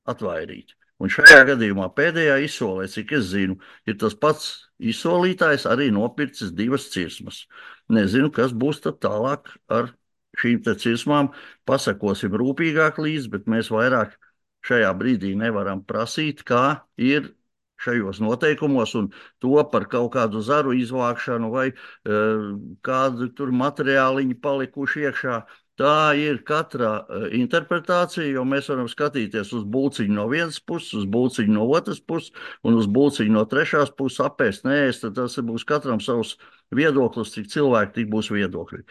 atvairīt. Un šajā gadījumā pēdējā izsolē, cik es zinu, ir tas pats izsolītājs arī nopircis divas cirsmas. Nezinu, kas būs tad tālāk ar šīm te cirsmām. Pasakosim rūpīgāk līdz, bet mēs vairāk šajā brīdī nevaram prasīt, kā ir šajos noteikumos, un to par kaut kādu zaru izvākšanu vai uh, kādu tur materiāliņu palikuši iekšā. Tā ir katra uh, interpretācija, jo mēs varam skatīties uz būciņu no vienas puses, uz būciņu no otras puses un uz būciņu no trešās puses, apēst, neēst, tad tas būs katram savs viedoklis, cik cilvēki, tik būs viedokļi.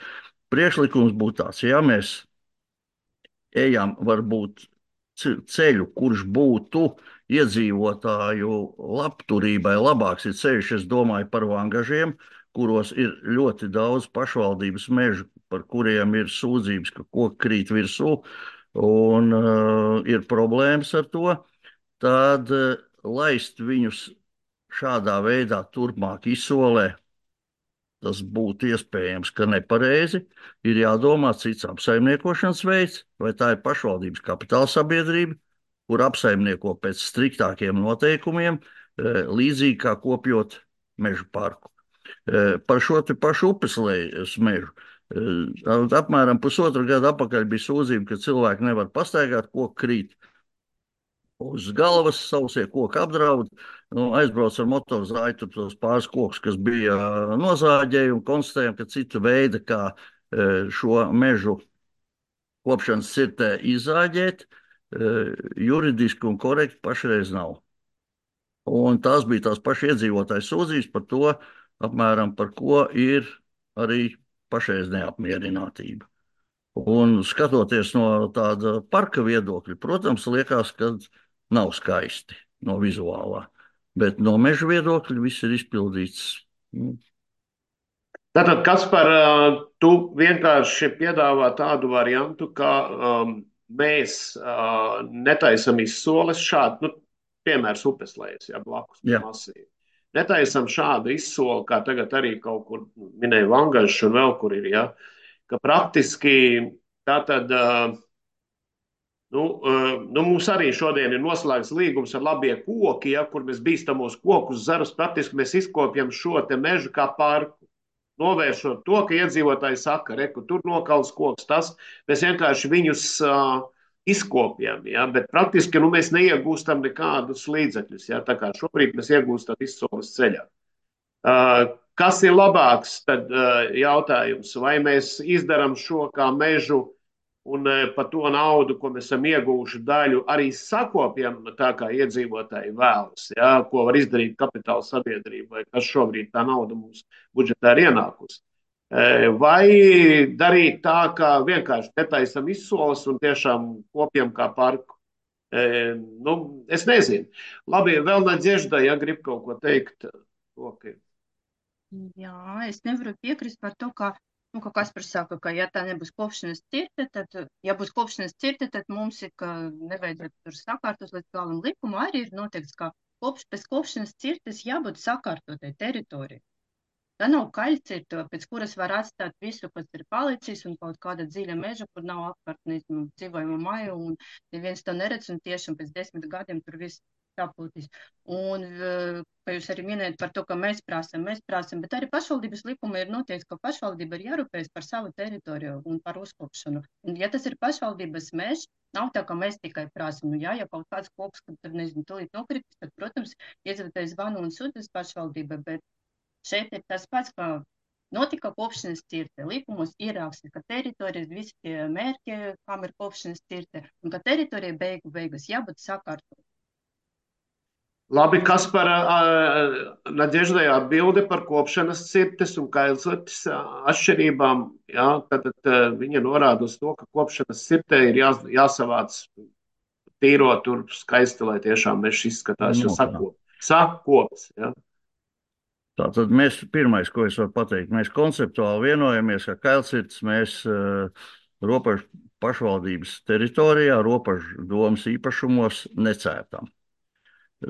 Priekšlikums būtu tāds, ja mēs ejam varbūt ceļu, kurš būtu iedzīvotāju labturībai labāks, ir ceļš, es domāju, par vangažiem, kuros ir ļoti daudz pašvaldības mežu, par kuriem ir sūdzības, ka koki krīt virsū, un uh, ir problēmas ar to, tad uh, laist viņus šādā veidā turpmāk izsolē, tas būtu iespējams, ka nepareizi. Ir jādomā cits apsaimniekošanas veids, vai tā ir pašvaldības kapitāla sabiedrība, kur apsaimnieko pēc striktākiem noteikumiem, līdzīgi kā kopjot mežu parku. Par šo te pašu upeslejas mežu. Apmēram pusotru gadu atpakaļ bija sūdzība, ka cilvēki nevar pastaigāt, koki krīt uz galvas, sausie koki apdraud. Nu, aizbrauc ar motorzāju, tur tos pāris kokus, kas bija nozāģēji, un konstatējam, ka cita veida, kā šo mežu kopšanas cirtē izzāģēt, juridiski un korekti pašreiz nav. Un tās bija tās paši iedzīvotāji sūdzības par to, apmēram par ko ir arī pašreiz neapmierinātība. Un skatoties no tāda parka viedokļa, protams, liekas, ka nav skaisti no vizuālā, bet no meža viedokļa viss ir izpildīts. Tātad, Kaspar, tu vienkārši piedāvā tādu variantu, ka um, mēs uh, netaisam izsoles šādu, nu, piemērs upeslejas, ja, blakus masīvi. Netaisam šādu izsoli, kā tagad arī kaut kur minēja Vangažs un vēl kur ir, ja, ka praktiski tātad, uh, nu, uh, nu, mums arī šodien ir noslēgts līgums ar labie koki, ja, kur mēs bīstamos kokus zarus, praktiski mēs izkopjam šo te mežu kā parku. Novēršot to, ka iedzīvotāji saka, reku, tur nokals koks, tas, mēs vienkārši viņus uh, izkopjam, ja, bet praktiski nu, mēs neiegūstam nekādus līdzekļus, ja, tā kā šobrīd mēs iegūstam izsoles ceļā. Uh, kas ir labāks, tad uh, jautājums, vai mēs izdaram šo kā mežu un uh, par to naudu, ko mēs esam ieguvuši daļu, arī sakopjam tā kā iedzīvotāji vēlas, ja, ko var izdarīt kapitāla sabiedrība, vai kas šobrīd tā nauda mums budžetā ir ienākusi. Vai darīt tā, ka vienkārši netaisam izsoles un tiešām kopjam kā parku. Nu, es nezinu. Labi, vēl Nadežda, ja grib kaut ko teikt. Okay. Jā, es nevaru piekrist par to, ka, nu, ka Kaspars saka, ka ja tā nebūs kopšanas cirte, tad, ja būs kopšanas cirte, tad mums ir, ka nevajadzētu tur sakārtos līdz galam likumu, arī ir noteikts, ka kopš, pēc kopšanas cirtes jābūt sakārtotai teritorijai. Tā nav kaļcirta, pēc kuras var atstāt visu, kas ir palicis, un kaut kāda dziļa meža, kur nav apkārt, nezinu, dzīvojama maja, un neviens to neredz, un tiešām pēc desmit gadiem tur viss sapūtīs. Un, kā jūs arī minējat par to, ka mēs prasam, mēs prasam, bet arī pašvaldības likuma ir noteikts, ka pašvaldība ir jārūpējas par savu teritoriju un par uzkopšanu. Un, ja tas ir pašvaldības mežs, nav tā, ka mēs tikai prasam. Nu, jā, ja kaut kāds koks, kad tur, nezinu, tūlīt nokritis, tad, protams, iedzīvotājs zvanu un sūtas pašvaldība, bet šeit ir tas pats, ka notika kopšanas cirte. Likumos ieraksta, ka teritorijas visi tie mērķi, kam ir kopšanas cirte, un ka teritorija beigu beigas jābūt sakārtot. Labi, Kaspar, Nadeždai atbilde par kopšanas cirtes un kailcirtes atšķirībām. Jā, tad, tad viņa norāda uz to, ka kopšanas cirtē ir jā, jāsavāc tīro tur skaisti, lai tiešām mežs izskatās, jo Nu, tā. sakop, sakops. Jā. Tātad mēs, pirmais, ko es varu pateikt, mēs konceptuāli vienojamies, ka kailcirtes mēs uh, robežu pašvaldības teritorijā, robežu domas īpašumos necērtam.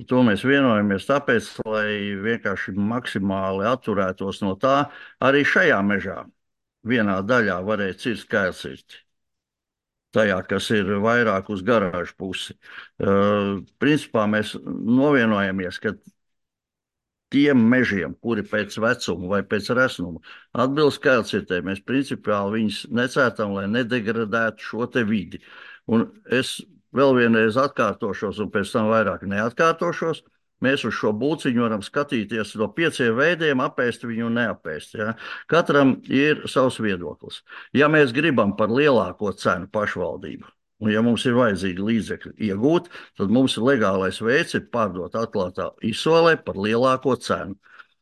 To mēs vienojamies tāpēc, lai vienkārši maksimāli atturētos no tā. Arī šajā mežā vienā daļā varēja cirst kailcirti. Tajā, kas ir vairāk uz garāžu pusi. Uh, principā mēs novienojamies, ka tiem mežiem, kuri pēc vecuma vai pēc resnuma atbilst kailcirtei, mēs principiāli viņus necērtam, lai nedegradētu šo te vidi. Un es vēl vienreiz atkārtošos, un pēc tam vairāk neatkārtošos. Mēs uz šo būciņu varam skatīties no pieciem veidiem, apēst viņu un neapēst. Ja? Katram ir savs viedoklis. Ja mēs gribam par lielāko cenu pašvaldību, un ja mums ir vajadzīgi līdzekļi iegūt, tad mums ir legālais veids ir pārdot atklātā izsolē par lielāko cenu.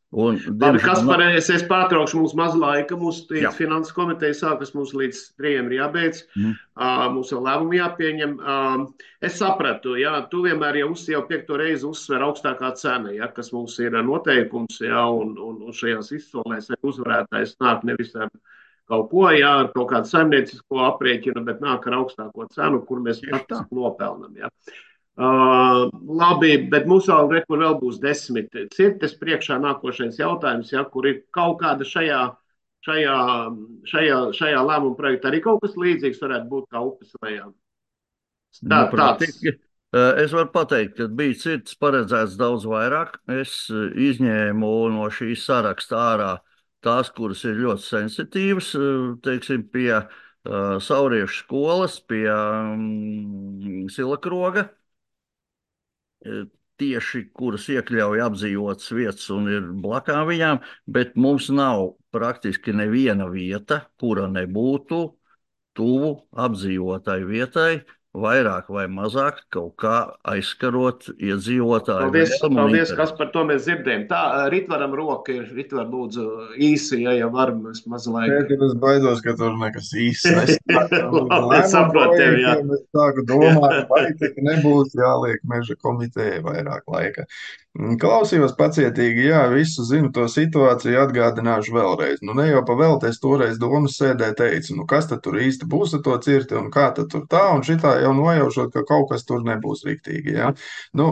Un, Labi, diemžēl, Kaspar, es, es pārtraukšu, mums maz laika, mums Jā. finanses komiteja sākas, mums līdz trījiem ir jābeidz, Mhm. uh, mums vēl lēmumi jāpieņem. Uh, es sapratu, jā, tu vienmēr jau, uz, jau piekto reizi uzsver augstākā cena, jā, kas mums ir noteikums, jā, un, un, un šajās izsolēs uzvarētājs nāk nevis ar kaut ko, jā, ar kaut kādu saimniecisko aprēķinu, bet nāk ar augstāko cenu, kur mēs Tieši tā. faktiski nopelnam, jā. Uh, labi, bet mums vēl, re, kur vēl būs desmit cirtes priekšā nākošais jautājums, ja, kur ir kaut kāda šajā, šajā, šajā, šajā lēmuma projektā arī kaut kas līdzīgs varētu būt kā upes lejā. Tā, Nu, tāds. praktiski, eh, es varu pateikt, ka bija cirts paredzēts daudz vairāk. Es eh, izņēmu no šīs saraksta ārā tās, kuras ir ļoti sensitīvas, eh, teiksim, pie uh, Sauriešu skolas, pie um, Silakroga. Tieši kuras iekļauj apdzīvotas vietas un ir blakām viņām, bet mums nav praktiski neviena vieta, kura nebūtu tuvu apdzīvotai vietai, vairāk vai mazāk kaut kā aizskarot iedzīvotāju Paldies, vēlmu un paldies, interesi. kas par to mēs dzirdējam. Tā, Ritvaram roka ir, Ritvar lūdzu īsi, ja jau varam, mēs maz laika. Tagad es baidos, ka tur nekas īsts Labi, es saprotu tevi, jā. Es sāku domāt, vai tik nebūs jāliek meža komitejai vairāk laika. Klausījos pacietīgi, jā, visu zinu to situāciju, atgādināšu vēlreiz. Nu, ne jau pavēlti, es toreiz domas sēdē teicu, nu, kas tad tur īsti būs ar to cirti un kā tad tur tā, un šitā jau nojaušot, ka kaut kas tur nebūs riktīgi, jā. Nu,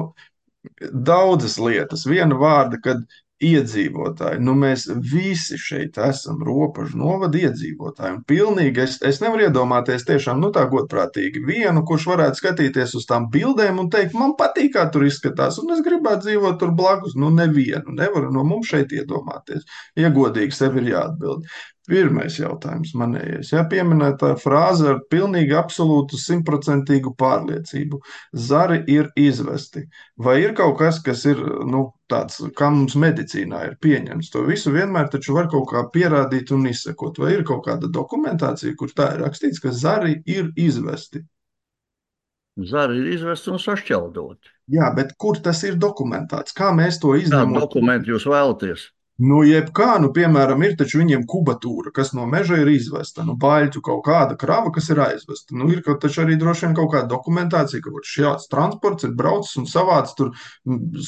daudzas lietas, viena vārda, kad iedzīvotāji, nu mēs visi šeit esam robežu novada iedzīvotāji, un pilnīgi es, es nevaru iedomāties tiešām, nu tā godprātīgi vienu, kurš varētu skatīties uz tām bildēm un teikt, man patīk, kā tur izskatās, un es gribētu dzīvot tur blakus, nu nevienu, nevaru no mums šeit iedomāties, ja godīgi sev ir jāatbild. Pirmais jautājums manējais, ja pieminētā frāze ar pilnīgi absolūtu simtprocentīgu pārliecību. Zari ir izvesti. Vai ir kaut kas, kas ir, nu, tāds, kā mums medicīnā ir pieņemts? To visu vienmēr taču var kaut kā pierādīt un izsekot. Vai ir kaut kāda dokumentācija, kur tā ir rakstīts, ka zari ir izvesti? Zari ir izvesti un sašķeldoti. Jā, bet kur tas ir dokumentēts? Kā mēs to Kādu izņemam? dokumentu jūs vēlaties? Nu, jebkā, nu, piemēram, ir taču viņiem kubatūra, kas no meža ir izvesta, nu, baļķu kaut kāda krava, kas ir aizvesta. Nu, ir kaut taču arī droši vien kaut kāda dokumentācija, ka šāds transports ir braucis un savāds tur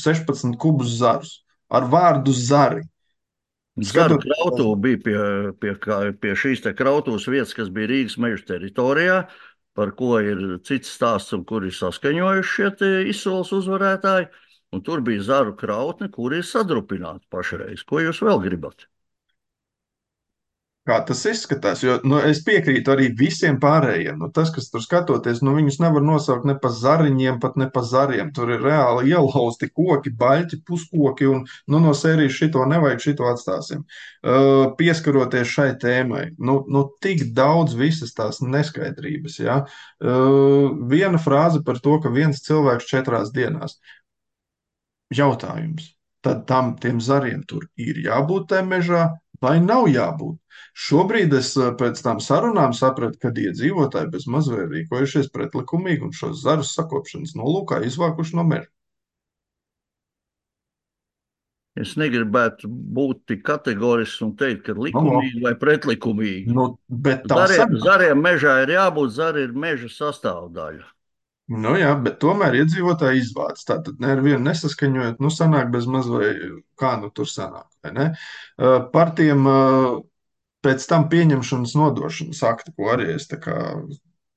sešpadsmit kubus zarus ar vārdu zari. Zaru Skatot- krautuve bija pie, pie, kā- pie šīs te krautuves vietas, kas bija Rīgas meža teritorijā, par ko ir cits stāsts un kur ir saskaņojuši šie te izsoles uzvarētāji. Un tur bija zaru krautne, kur ir sadrupināta pašreiz. Ko jūs vēl gribat? Kā tas izskatās? Jo, nu, es piekrītu arī visiem pārējiem. Nu, tas, kas tur skatoties, nu, viņus nevar nosaukt ne pa zariņiem, pat ne pa zariem. Tur ir reāli ielauzti koki, baļķi, puskoki, un nu, no sērijas šito nevajag, šito atstāsim. Uh, pieskaroties šai tēmai, nu, nu, tik daudz visas tās neskaidrības. Ja? Uh, viena frāze par to, ka viens cilvēks četrās dienās. Jautājums. Tad tam tiem zariem tur ir jābūt tajā mežā vai nav jābūt? Šobrīd es eh, pēc tam sarunām sapratu, ka iedzīvotāji bez mazliet ir rīkojušies pretlikumīgi un šos zarus sakopšanas nolūkā izvākuši no meža. Es negribētu būt tik kategorisks un teikt, ka No, no. likumīgi vai pretlikumīgi. Nu, bet tā Zariem, sanāk. zariem mežā ir jābūt, zari ir meža sastāvdaļa. Nu jā, bet tomēr iedzīvotāji izvāc. Tātad ne ar vienu nesaskaņojot, nu sanāk bez maz vai kā nu tur sanāk, vai ne? Uh, Par tiem uh, pēc tam pieņemšanas nodošanas akti, ko arī es tā kā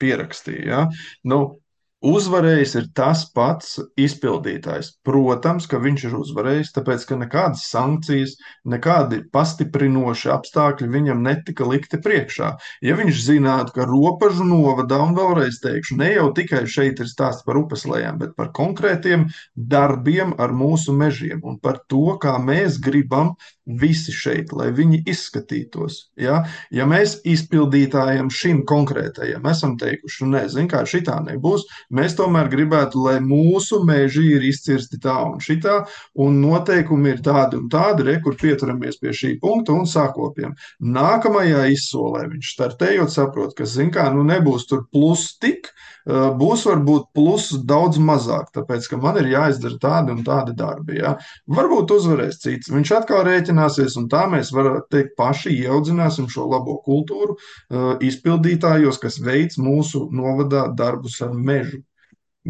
pierakstīju, ja? Nu, uzvarējis ir tas pats izpildītājs. Protams, ka viņš ir uzvarējis, tāpēc, ka nekādas sankcijas, nekādi pastiprinoši apstākļi viņam netika likti priekšā. Ja viņš zinātu, ka Ropažu novadā, un vēlreiz teikšu, ne jau tikai šeit ir stāsts par upeslējām, bet par konkrētiem darbiem ar mūsu mežiem un par to, kā mēs gribam visi šeit, lai viņi izskatītos. Ja, ja mēs izpildītājiem šim konkrētajam esam teikuši, nezinu, kā šitā nebūs, mēs tomēr gribētu, lai mūsu meži ir izcirsti tā un šitā, un noteikumi ir tādi un tādi, re, kur pieturamies pie šī punkta un sakopjam. Nākamajā izsolē viņš startējot saprot, ka, zin kā, nu nebūs tur plus tik, būs varbūt plus daudz mazāk, tāpēc, ka man ir jāizdara tādi un tādi darbi. Ja? Varbūt uzvarēs cits. Viņš atkal rēķināsies, un tā mēs varam teikt paši ieaudzināsim šo labo kultūru uh, izpildītājos, kas veic mūsu novadā darbus ar mežu.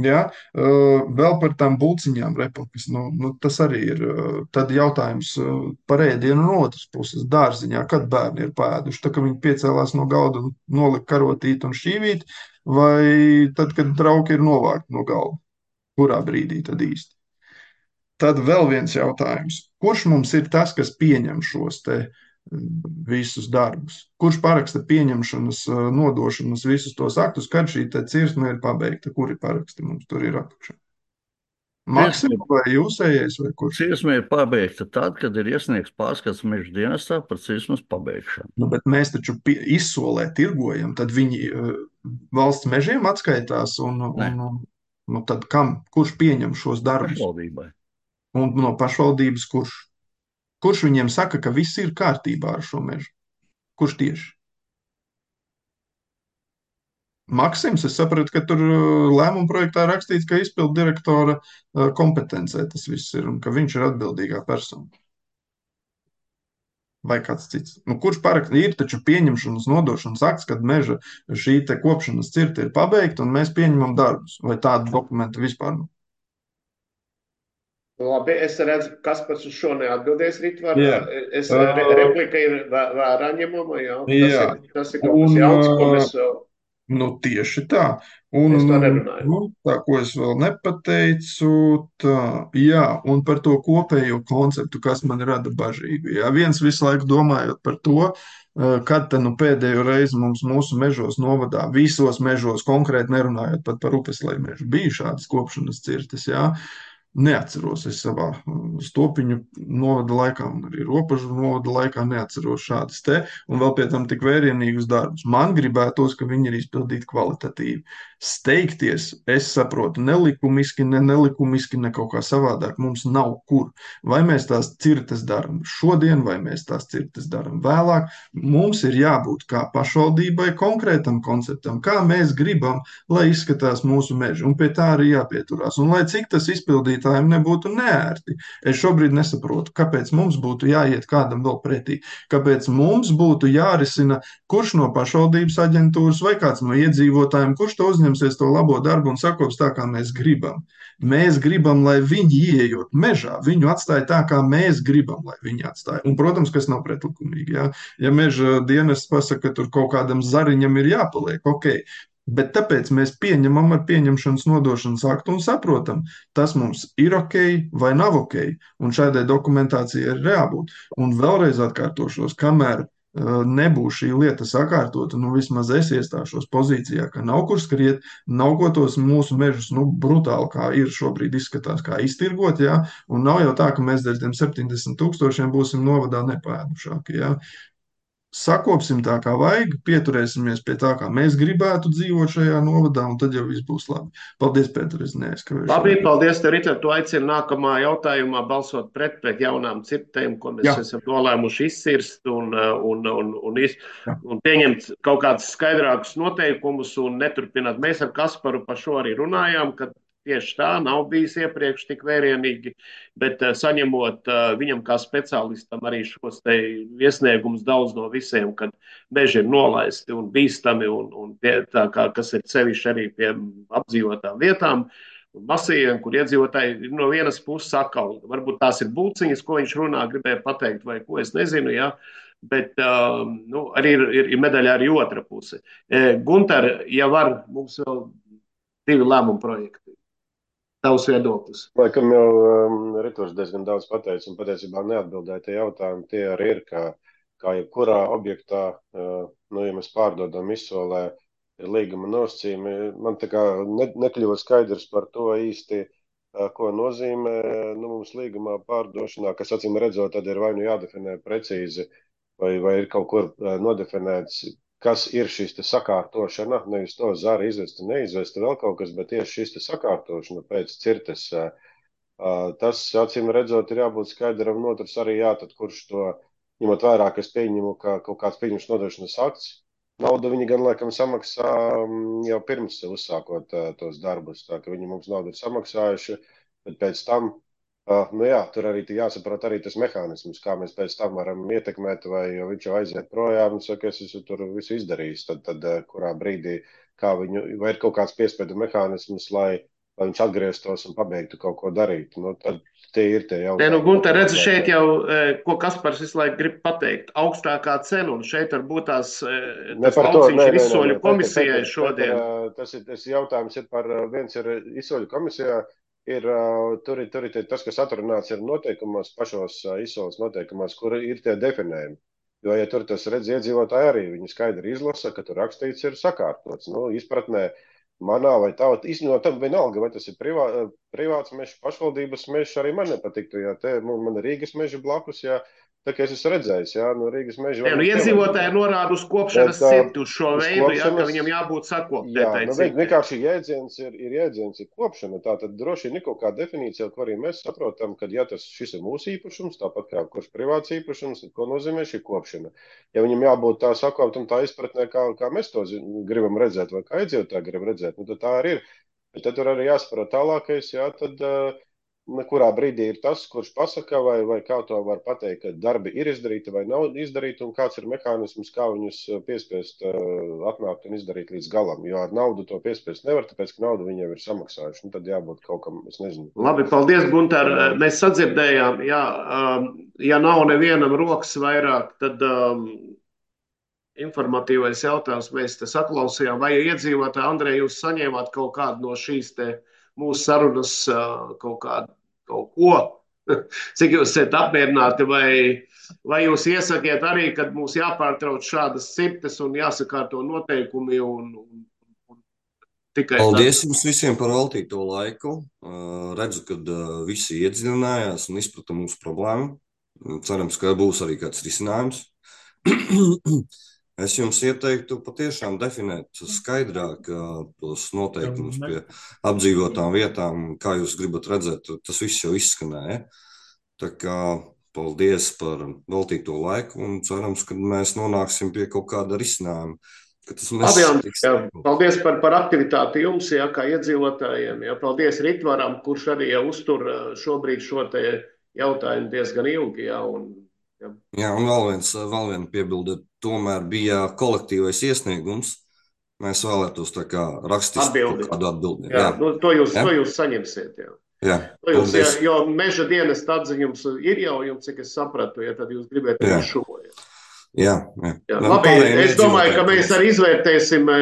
Ja? Uh, vēl par tām bulciņām republikas. Nu, nu, tas arī ir uh, tad jautājums uh, par ēdienu no otras puses dārziņā, kad bērni ir pēduši. Tā, ka viņi piecēlās no galda un nolika karotīt un šķīvīt, vai tad, kad trauki ir novākti no galda. Kurā brīdī tad īsti? Tad vēl viens jautājums. Kurš mums ir tas, kas pieņem šos te visus darbus? Kurš paraksta pieņemšanas, nodošanas visus tos aktus, kad šī te cirsme ir pabeigta? Kuri paraksti mums tur ir apakšā? Maksims vai jūsējais vai kurš? Cirsme ir pabeigta tad, kad ir iesniegts pārskats meža dienestā par cirsmes pabeigšanu. Nu, bet mēs taču izsolē tirgojam, tad viņi uh, valsts mežiem atskaitās un, un, un nu, tad kam? Kurš pieņem šos darbus? Pašvaldībai. Un no pašvaldības kurš? Kurš viņiem saka, ka viss ir kārtībā ar šo mežu? Kurš tieši? Maksims, es sapratu, ka tur lēmuma projektā rakstīts, ka izpildu direktora kompetencē tas viss ir un ka viņš ir atbildīgā persona. Vai kāds cits? Nu, kurš parakst? Ir taču pieņemšanas nodošanas akts, kad meža šī te kopšanas cirta ir pabeigta un mēs pieņemam darbus. Vai tādu dokumentu vispār nav? Labi, es redzu, kas pats uz šo neatbildēs, Ritvar. Jā. Es, Uh, re, replika ir vē- vērā ņemama, jā. Tas Jā. ir, tas ir kaut kas Un, jauns, ko uh, mēs vēl, Nu, tieši tā. Un, mēs to un, nerunājam. nu, tā, ko es vēl nepateicu, tā, jā, un par to kopējo konceptu, kas man rada bažīgu. Jā, viens visu laiku domājot par to, eh, kad tad nu pēdējo reizi mums mūsu mežos novadā, visos mežos, konkrēti nerunājot pat par upeslēju mežu, bija šādas kopšanas cirtas, jā. Neatceros es savā mm, stopiņu novada laikā un arī ropažu novada laikā neatceros šādas te, un vēl pie tam tik vērienīgus darbus. Man gribētos, ka viņi ir izpildīti kvalitatīvi. Steigties, es saprotu, nelikumiski, ne nelikumiski, ne kaut kā savādāk mums nav kur. Vai mēs tās cirtas darām šodien, vai mēs tās cirtas darām vēlāk, mums ir jābūt kā pašvaldībai konkrētam konceptam, kā mēs gribam, lai izskatās mūsu meži, un pie tā arī jāpieturās. Un lai cik tas izpildītājiem nebūtu neērti, es šobrīd nesaprotu, kāpēc mums būtu jāiet kādam vēl pretī, kāpēc mums būtu jārisina, kurš no pašvaldības aģentūras vai kāds no iedzīvotājiem, kurš to uzņemsies to labo darbu un sakops tā, kā mēs gribam. Mēs gribam, lai viņi ieejot mežā, viņu atstāja tā, kā mēs gribam, lai viņi atstāja. Un, protams, kas nav pretlikumīgi. Ja, ja meža dienests pasaka, ka tur kaut kādam zariņam ir jāpaliek, ok. Bet tāpēc mēs pieņemam ar pieņemšanas nodošanas aktu un saprotam, tas mums ir ok vai nav ok, un šādai dokumentācijai ir jābūt. Un vēlreiz atkārtošos, kamēr uh, nebūs šī lieta sakārtota, nu vismaz es iestāšos pozīcijā, ka nav kur skriet, nav ko tos mūsu mežus, nu brutāli, kā ir šobrīd izskatās, kā iztirgot, jā, un nav jau tā, ka mēs dēļ tiem septiņdesmit tūkstošiem būsim novadā nepēdušāki, jā. Sakopsim tā, kā vajag, pieturēsimies pie tā, kā mēs gribētu dzīvot šajā novadā, un tad jau viss būs labi. Paldies, Pēter, es neaizskavēšu. Labi, paldies tev, Ritar. Tu aicini nākamā jautājumā balsot pret pret jaunām cirtēm, ko mēs Jā. esam nolēmuši izcirst un, un, un, un, iz, Jā. un pieņemt kaut kādus skaidrākus noteikumus un neturpināt. Mēs ar Kasparu par šo arī runājām, ka tieši tā nav bijis iepriekš tik vērienīgi, bet uh, saņemot uh, viņam kā speciālistam arī šos te iesniegumus daudz no visiem, kad meži ir nolaisti un bīstami un, un pie, tā kā, kas ir sevišķi arī pie apdzīvotām vietām, un masījiem, kur iedzīvotāji ir no vienas puses atkal, varbūt tās ir būciņas, ko viņš runā, gribēja pateikt, vai ko, es nezinu, jā, bet uh, nu, arī ir, ir, ir medaļā arī otra puse. E, Gunter, ja var, mums vēl divi lēmumu projekti. Tavs viedoklis. Laikam jau um, Riturs diezgan daudz pateica un patiesībā neatbildēja tie jautājumi. Tie arī ir, kā, kā jebkurā objektā, uh, nu, ja mēs pārdodam izsolē, ir līguma nosacījumi. Man tā kā ne, nekļuva skaidrs par to īsti, uh, ko nozīmē nu, mums līgumā pārdošanā, kas acīm redzot, tad ir vai nu jādefinē precīzi, vai, vai ir kaut kur uh, nodefinēts, kas ir šis te sakārtošana, nevis to zara izvesta, neizvesta vēl kaut kas, bet tieši šis te sakārtošana pēc cirtes. Tas, acīm redzot, ir jābūt skaidram, un otrs arī jā, tad kurš to, ņemot vērā, ka es pieņemu, ka kaut kāds pieņems nodošanas akts, naudu viņi gan laikam samaksā jau pirms uzsākot tos darbus, tā ka viņi mums naudu ir samaksājuši, bet pēc tam Uh, nu jā, tur arī jāsaprot arī tas mehānisms, kā mēs pēc tam varam ietekmēt, vai viņš jau aiziet projām un saka, es esmu tur visu izdarījis, tad, tad kurā brīdī, kā viņu, vai ir kaut kāds piespiedu mehānisms, lai, lai viņš atgrieztos un pabeigtu kaut ko darīt. Nu, tad tie ir tie jautājumi. Nē, nu, Gunter, redzi šeit jau, ko Kaspars visu laiku grib pateikt, augstākā cena, un šeit varbūt tās tas lauciņš ir izsoļu komisijai šodien. Tas ir, tas jautājums ir par, viens ir izsoļu komisijā, Ir, tur, ir, tur ir tas, kas atrunāts ir noteikumos, pašos izsoles noteikumos, kur ir tie definējumi. Jo, ja tur tas redz iedzīvotāji arī, viņi skaidri izlasa, ka tur rakstīts ir sakārtots. Nu, izpratnē manā vai tā, īstenībā tam vienalga, vai tas ir privā, privāts mežs, pašvaldības mežs, arī man nepatiktu, ja te man ir Rīgas meži blakus, ja tā kā es esmu redzējis, jā, no Rīgas meža. Jā, nu iedzīvotāji norāda uz kopšanas cirti, uz šo veidu, jā, ka viņam jābūt sakoptētai. Jā, nu vienkārši jēdziens ir, ir jēdziens ir kopšana, tā tad droši ir kaut kā definīcija, ko arī mēs saprotam, ka ja tas šis ir mūsu īpašums, tāpat kā kurš privāts īpašums, tad ko nozīmē šī kopšana. Ja viņam jābūt tā sakoptam, tā izpratnē, kā, kā mēs to gribam redzēt, vai kā iedzīvotāji grib redzēt, nu tad tā arī ir. Bet tad tur arī jāsaprot tālākais, jā, tad kurā brīdī ir tas, kurš pasaka, vai, vai kā to var pateikt, ka darbi ir izdarīti vai nav izdarīti, un kāds ir mehānisms, kā viņus piespiest uh, atnākt un izdarīt līdz galam. Jo ar naudu to piespiest nevar, tāpēc, ka naudu viņiem ir samaksājuši. Nu, tad jābūt kaut kam, es nezinu. Labi, paldies, Gunter. Mēs sadzirdējām, jā, um, ja nav nevienam rokas vairāk, tad um, informatīvais jautājums mēs te saklausījām. Vai iedzīvotāji, Andrej, jūs saņēmāt kaut kādu no šīs te mūsu sarunas kaut kādu, kaut ko, cik jūs esat apmierināti, vai, vai jūs iesakiet arī, kad mums jāpārtrauc šādas cirtes un jāsakārto noteikumi un, un, un tikai... Paldies tā. Jums visiem par veltīto laiku. Uh, redzu, kad uh, visi iedziļinājās un izprata mūsu problēmu. Cerams, ka būs arī kāds risinājums. Es jums ieteiktu patiešām definēt skaidrāk uh, tos noteikumus pie apdzīvotām vietām, kā jūs gribat redzēt, tas viss jau izskanēja. Tā kā paldies par veltīto laiku un cerams, ka mēs nonāksim pie kaut kāda risinājuma. Labi, jā, paldies par, par aktivitāti jums, jā, kā iedzīvotājiem. Jā, paldies Ritvaram, kurš arī jau uztur šobrīd šo te jautājumu diezgan ilgi. Jā, un, jā. jā, un vēl viens, vēl viena piebilde. Tomēr bija kolektīvais iesniegums. Mēs vēlētos tā kā rakstiski atbildi. Kādu atbildi. Jā, jā. Nu, to, jūs, jā. to jūs saņemsiet. Jā. Jā, to jūs, jā, jo meža dienas atziņums ir jau jums, cik es sapratu, ja tad jūs gribētu arī šo. Jā, jā. jā. jā. Labi, es domāju, ka mēs arī izvērtēsim,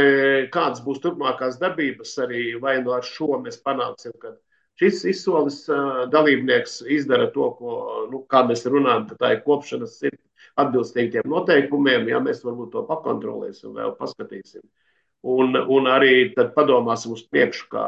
kādas būs turpmākās darbības, arī vai no ar šo mēs panāksim, ka šis izsoles dalībnieks izdara to, ko, nu, kā mēs runājam, ka tā ir kopšanas sirds. Atbilstīgi tiem noteikumiem, ja mēs varbūt to pakontrolēsim, vēl paskatīsim. Un, un arī tad padomāsim uz priekšu, kā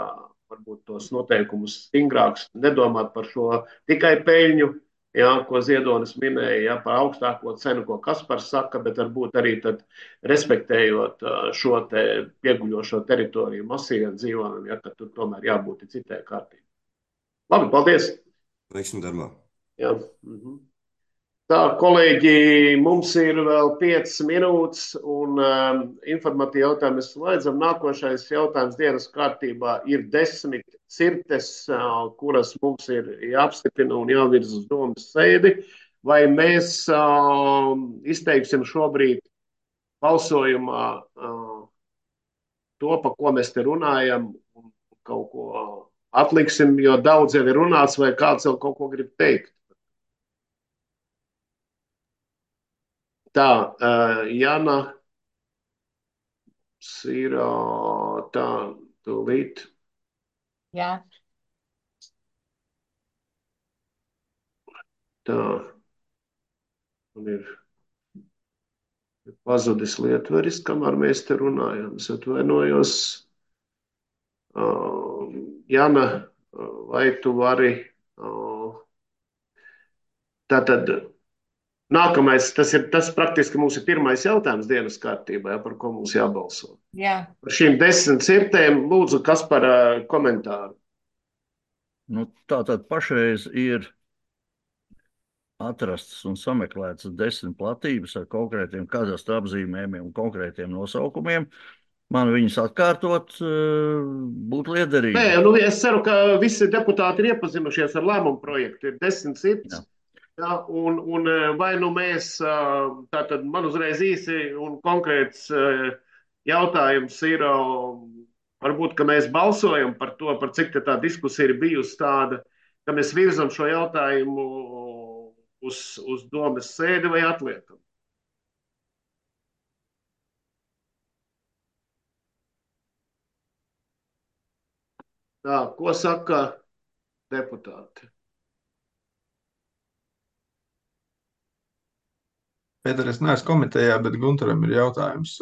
varbūt tos noteikumus stingrāks, nedomāt par šo tikai peļņu, ja, ko Ziedonis minēja, ja, par augstāko cenu, ko Kaspars saka, bet varbūt arī tad respektējot šo te pieguļošo teritoriju masīviem dzīvojumiem, ja, ka tur tomēr jābūt citai kārtībai. Labi, paldies! Veiksim darbā! Jā. Mhm. Tā, kolēģi, mums ir vēl piecas minūtes, un um, informatīvi jautājumu mēs slēdzam. Nākošais jautājums dienas kārtībā ir desmit cirtes, uh, kuras mums ir jāapstiprina un jāvirz uz domas sēdi. Vai mēs uh, izteiksim šobrīd balsojumā uh, to, pa ko mēs te runājam, un kaut ko atliksim, jo daudz jau ir runāts, vai kāds vēl kaut ko grib teikt? Tā, uh, Jana, ir uh, tā, tūlīt. Jā. Tā, man ir pazudis lietveris, kamēr mēs te runājam. Es atvainojos. Uh, Jana, vai tu vari uh, tātad nākamais, tas ir tas praktiski mums ir pirmais jautājums dienas kārtībā, ja, par ko mums jābalso. Jā. Par šīm desmit cirtēm lūdzu, kas par uh, komentāru? Nu, tātad pašreiz ir atrastas un sameklētas desmit platības ar konkrētiem kadastra apzīmējumiem un konkrētiem nosaukumiem. Man viņas atkārtot būtu liederīgi. Nē, nu es ceru, ka visi deputāti ir iepazinušies ar lēmumu projektu. Ir desmit cirts. Jā. Jā, un, un vai nu mēs, tātad man uzreiz īsi un konkrēts jautājums ir, varbūt, ka mēs balsojam par to, par cik tā diskusija ir bijusi tāda, ka mēs virzam šo jautājumu uz, uz domas sēdi vai atliekam. Tā, ko saka deputāti? Pēter, es neesmu komitejā, bet Guntaram ir jautājums.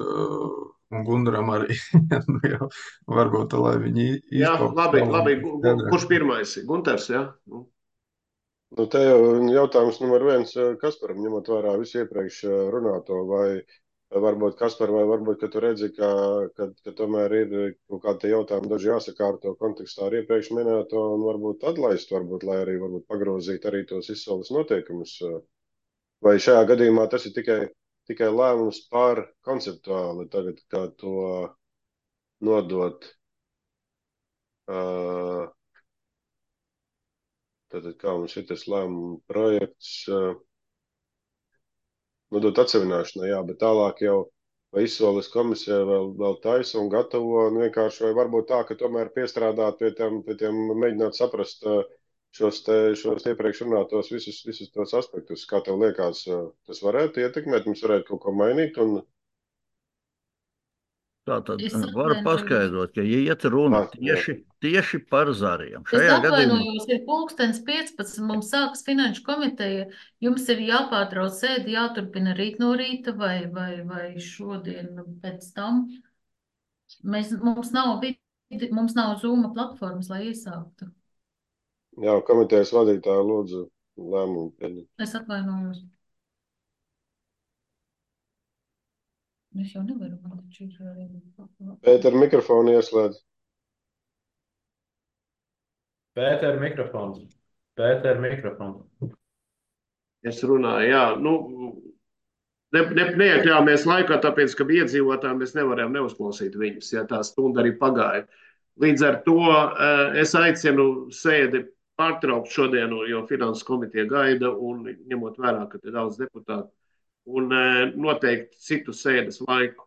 Un Guntaram arī. Nu, jau, varbūt, lai viņi izpauž. Jā, labi, labi. Kurš pirmais? Guntars, jā? Nu. Nu, te jau jautājums numur viens Kasparam, ņemot vērā visu iepriekš runāto, vai varbūt Kaspar, vai varbūt, ka tu redzi, ka, ka, ka tomēr ir kaut kādi jautājumi daži jāsakārto kontekstā ar iepriekš minēto un varbūt atlaist, varbūt, lai arī varbūt pagrozīt arī tos izsoles noteikumus. Vai šajā gadījumā tas ir tikai, tikai lēmums par konceptuāli tagad, kā to nodot, uh, tātad kā mums ir tas lēmuma projekts, uh, nodot atsevināšanai, jā, bet tālāk jau vai izsoles komisija vēl, vēl taisa un gatavo, un vienkārši vai varbūt tā, ka tomēr piestrādāt pie tiem, pie tiem mēģināt saprast uh, šos, te, šos iepriekš runātos visus, visus tos aspektus. Kā tev liekas, tas varētu ietekmēt, mums varētu kaut ko mainīt? Un... Tā tad var paskaidrot, ka iet runa tieši, tieši par zariem. Šajā es atvainojos, gadījumā... ir pulkstens piecpadsmit, mums sākas finanšu komiteja, jums ir jāpārtrauc sēdi, jāturpina rīt no rīta vai, vai, vai šodien pēc tam. Mēs, mums nav, vidi, mums nav Zoom platformas, lai iesāktu. Jā, komitejas vadītāja lūdzu lēmumu pieņemt. Es atvainojos. Es jau nevaru. Pēter, mikrofonu ieslēdz. Pēter, mikrofons. Pēter, mikrofons. Es runāju, jā. Nu, ne, ne, neiekļāmies laikā, tāpēc, ka bija iedzīvotāji, mēs nevarējām neuzklausīt viņus, ja tā stunda arī pagāja. Līdz ar to es aicinu sēdi pārtraukt šodienu, jo finanses komiteja gaida un ņemot vērā, ka te daudz deputātu, un noteikti citu sēdes laiku.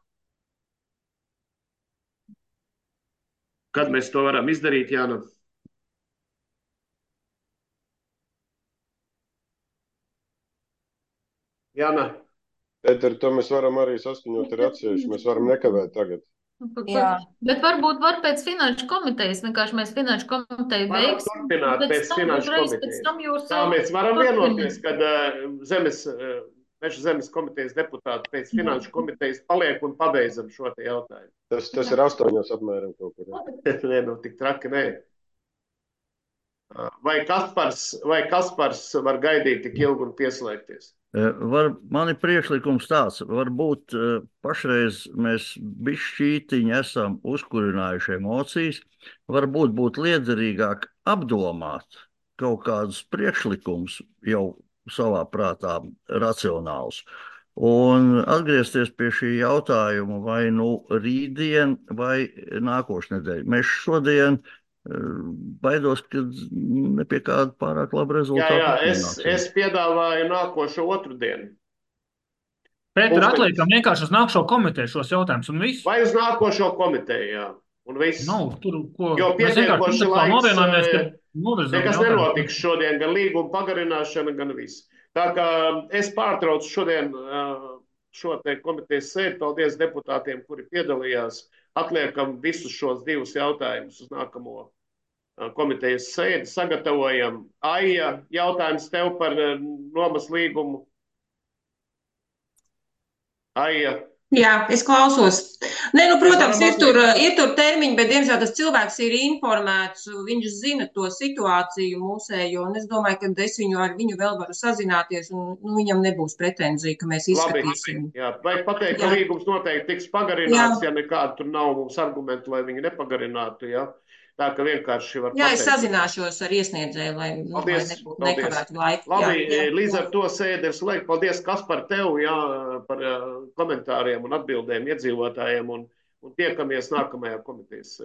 Kad mēs to varam izdarīt, Jāna? Jāna? Pēter, to mēs varam arī saskaņot ar atsevišķi, mēs varam nekavēt tagad. Jā. Bet varbūt var pēc finanšu komitejas, vienkārši mēs finanšu komiteju veiksim. Turpināt pēc finanšu komitejas. Tā mēs varam vienoties, kad uh, zemes, uh, meža zemes komitejas deputāti pēc finanšu komitejas paliek un pabeidzam šo te jautājumu. Tas, tas ir astoņos apmēram kaut kur. Nē, nu tik traki, nē. Vai Kaspars, vai Kaspars var gaidīt tik ilgi un pieslēgties? Var, man ir priekšlikums tāds, varbūt pašreiz mēs bišķītiņi esam uzkurinājuši emocijas, varbūt būtu liederīgāk apdomāt kaut kādus priekšlikumus jau savā prātā racionāls. Un atgriezties pie šī jautājuma, vai nu rītdien vai nākošu nedēļu. Mēs šodien baidos, ka ne pie kāda pārāk laba Jā, rezultāta jā, es, nenonāksim. es piedāvāju nākošo otru dienu. Pēter, Pulkstenis. atliekam vienkārši uz nākšo komiteju šos jautājumus un viss. Vai uz nākošo komiteju, jā. Un viss. Nav tur, ko. Jo Mēs vienkārši pietiekoši tā laiks, novienojāmies, ka eh, novirzām nekas jautājumus. nenotiks šodien, gan līguma pagarināšana, gan viss. Tā kā es pārtraucu šodien eh, šo te komitejas sēdi. Paldies deputātiem, kuri piedalījās. Atliekam visus šos divus jautājumus uz nākamo eh, komitejas sēdi. Sagatavojam. Aija, jautājums tev par eh, nomas līgumu. Aija. Jā, es klausos. Nē, nu, protams, varam ir tur, atlikt. ir tur termiņi, bet, diemžēl, tas cilvēks ir informēts, viņš zina to situāciju mūsējo, un es domāju, ka es viņu ar viņu vēl varu sazināties, un nu, viņam nebūs pretenzija, ka mēs Labi, izskatīsim. jā, vajag pateikt, ka Jā. līgums noteikti tiks pagarināts, ja nekāda tur nav mums argumentu, lai viņi nepagarinātu, jā. Tā ka vienkārši var Jā, es pateikt. sazināšos ar iesniedzēju, lai, nu, lai Paldies, nebūtu paldies. nekavētu laiku. Labi, Jā, jā, līdz jā. ar to sēdi ir slēgt. Paldies, Kaspar, tev, jā, par uh, komentāriem un atbildēm iedzīvotājiem, un, un tiekamies nākamajā komitejas sēdē.